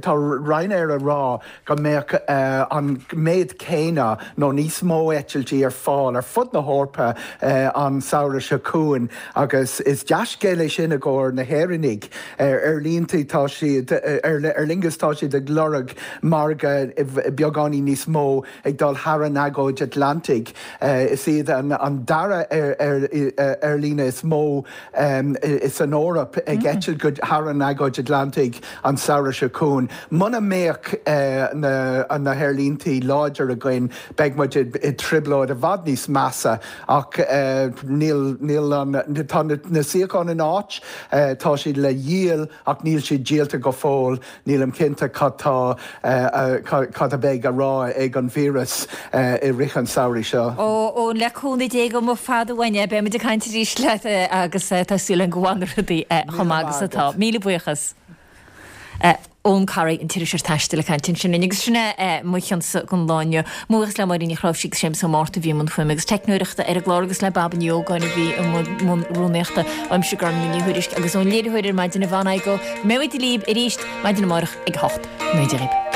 tá Ryanair a rá go mbeadh an méid céanna nó níos mó eitiltí ar fáil ar fud na hEorpa an samhradh seo chugainn agus is dea-scéal é sin i gcomhair na hÉireannaigh. Aerlíntí tá siad Aer Lingus tá siad ag lorg margadh beagáinín níos mó ag dul thar an agóid Atlantaigh. Is iad an dara aerlíne is mó san Eoraip ag eitilt go thar an agóid Atlantaigh an samhradh seo chugainn. Muna mbeadh na haerlíntí láidir againn beidh muid i dtrioblóid i bhfad níos measa ach níl níl an tá na suíocháin in áit, tá siad le dhíol ach níl siad díolta go fóill. Nílim cinnte cad tá cad a bheidh a rá ag an víreas i rith an samhraidh seo. Ó le cúnamh Dé go mba fada uainn é, beidh muid ag caint arís leat agus tá súil againn go bhfanfaidh rudaí chomh maith agus atá. Míle buíochas. Eoin Corry, an t-iriseoir taistil ag caint ansin linn agus sin é mo chionsa don lá inniu. Mo bhuíochas le Máirín Ní Chnáimhsí agus Séamus Ó Márta a bhí i mbun fuaime agus teicneoireachta ar an gclár agus le Baba Ní Ógáin a bhí i mbun rúnaíochta. Uaimse Gormlaith Ní Thuairisg agus ón léiritheoir ar maidin Yvonne Igoe. Go mbeidh muid libh arís maidin amárach ag a hocht. Go ndéana Dia dhaoibh.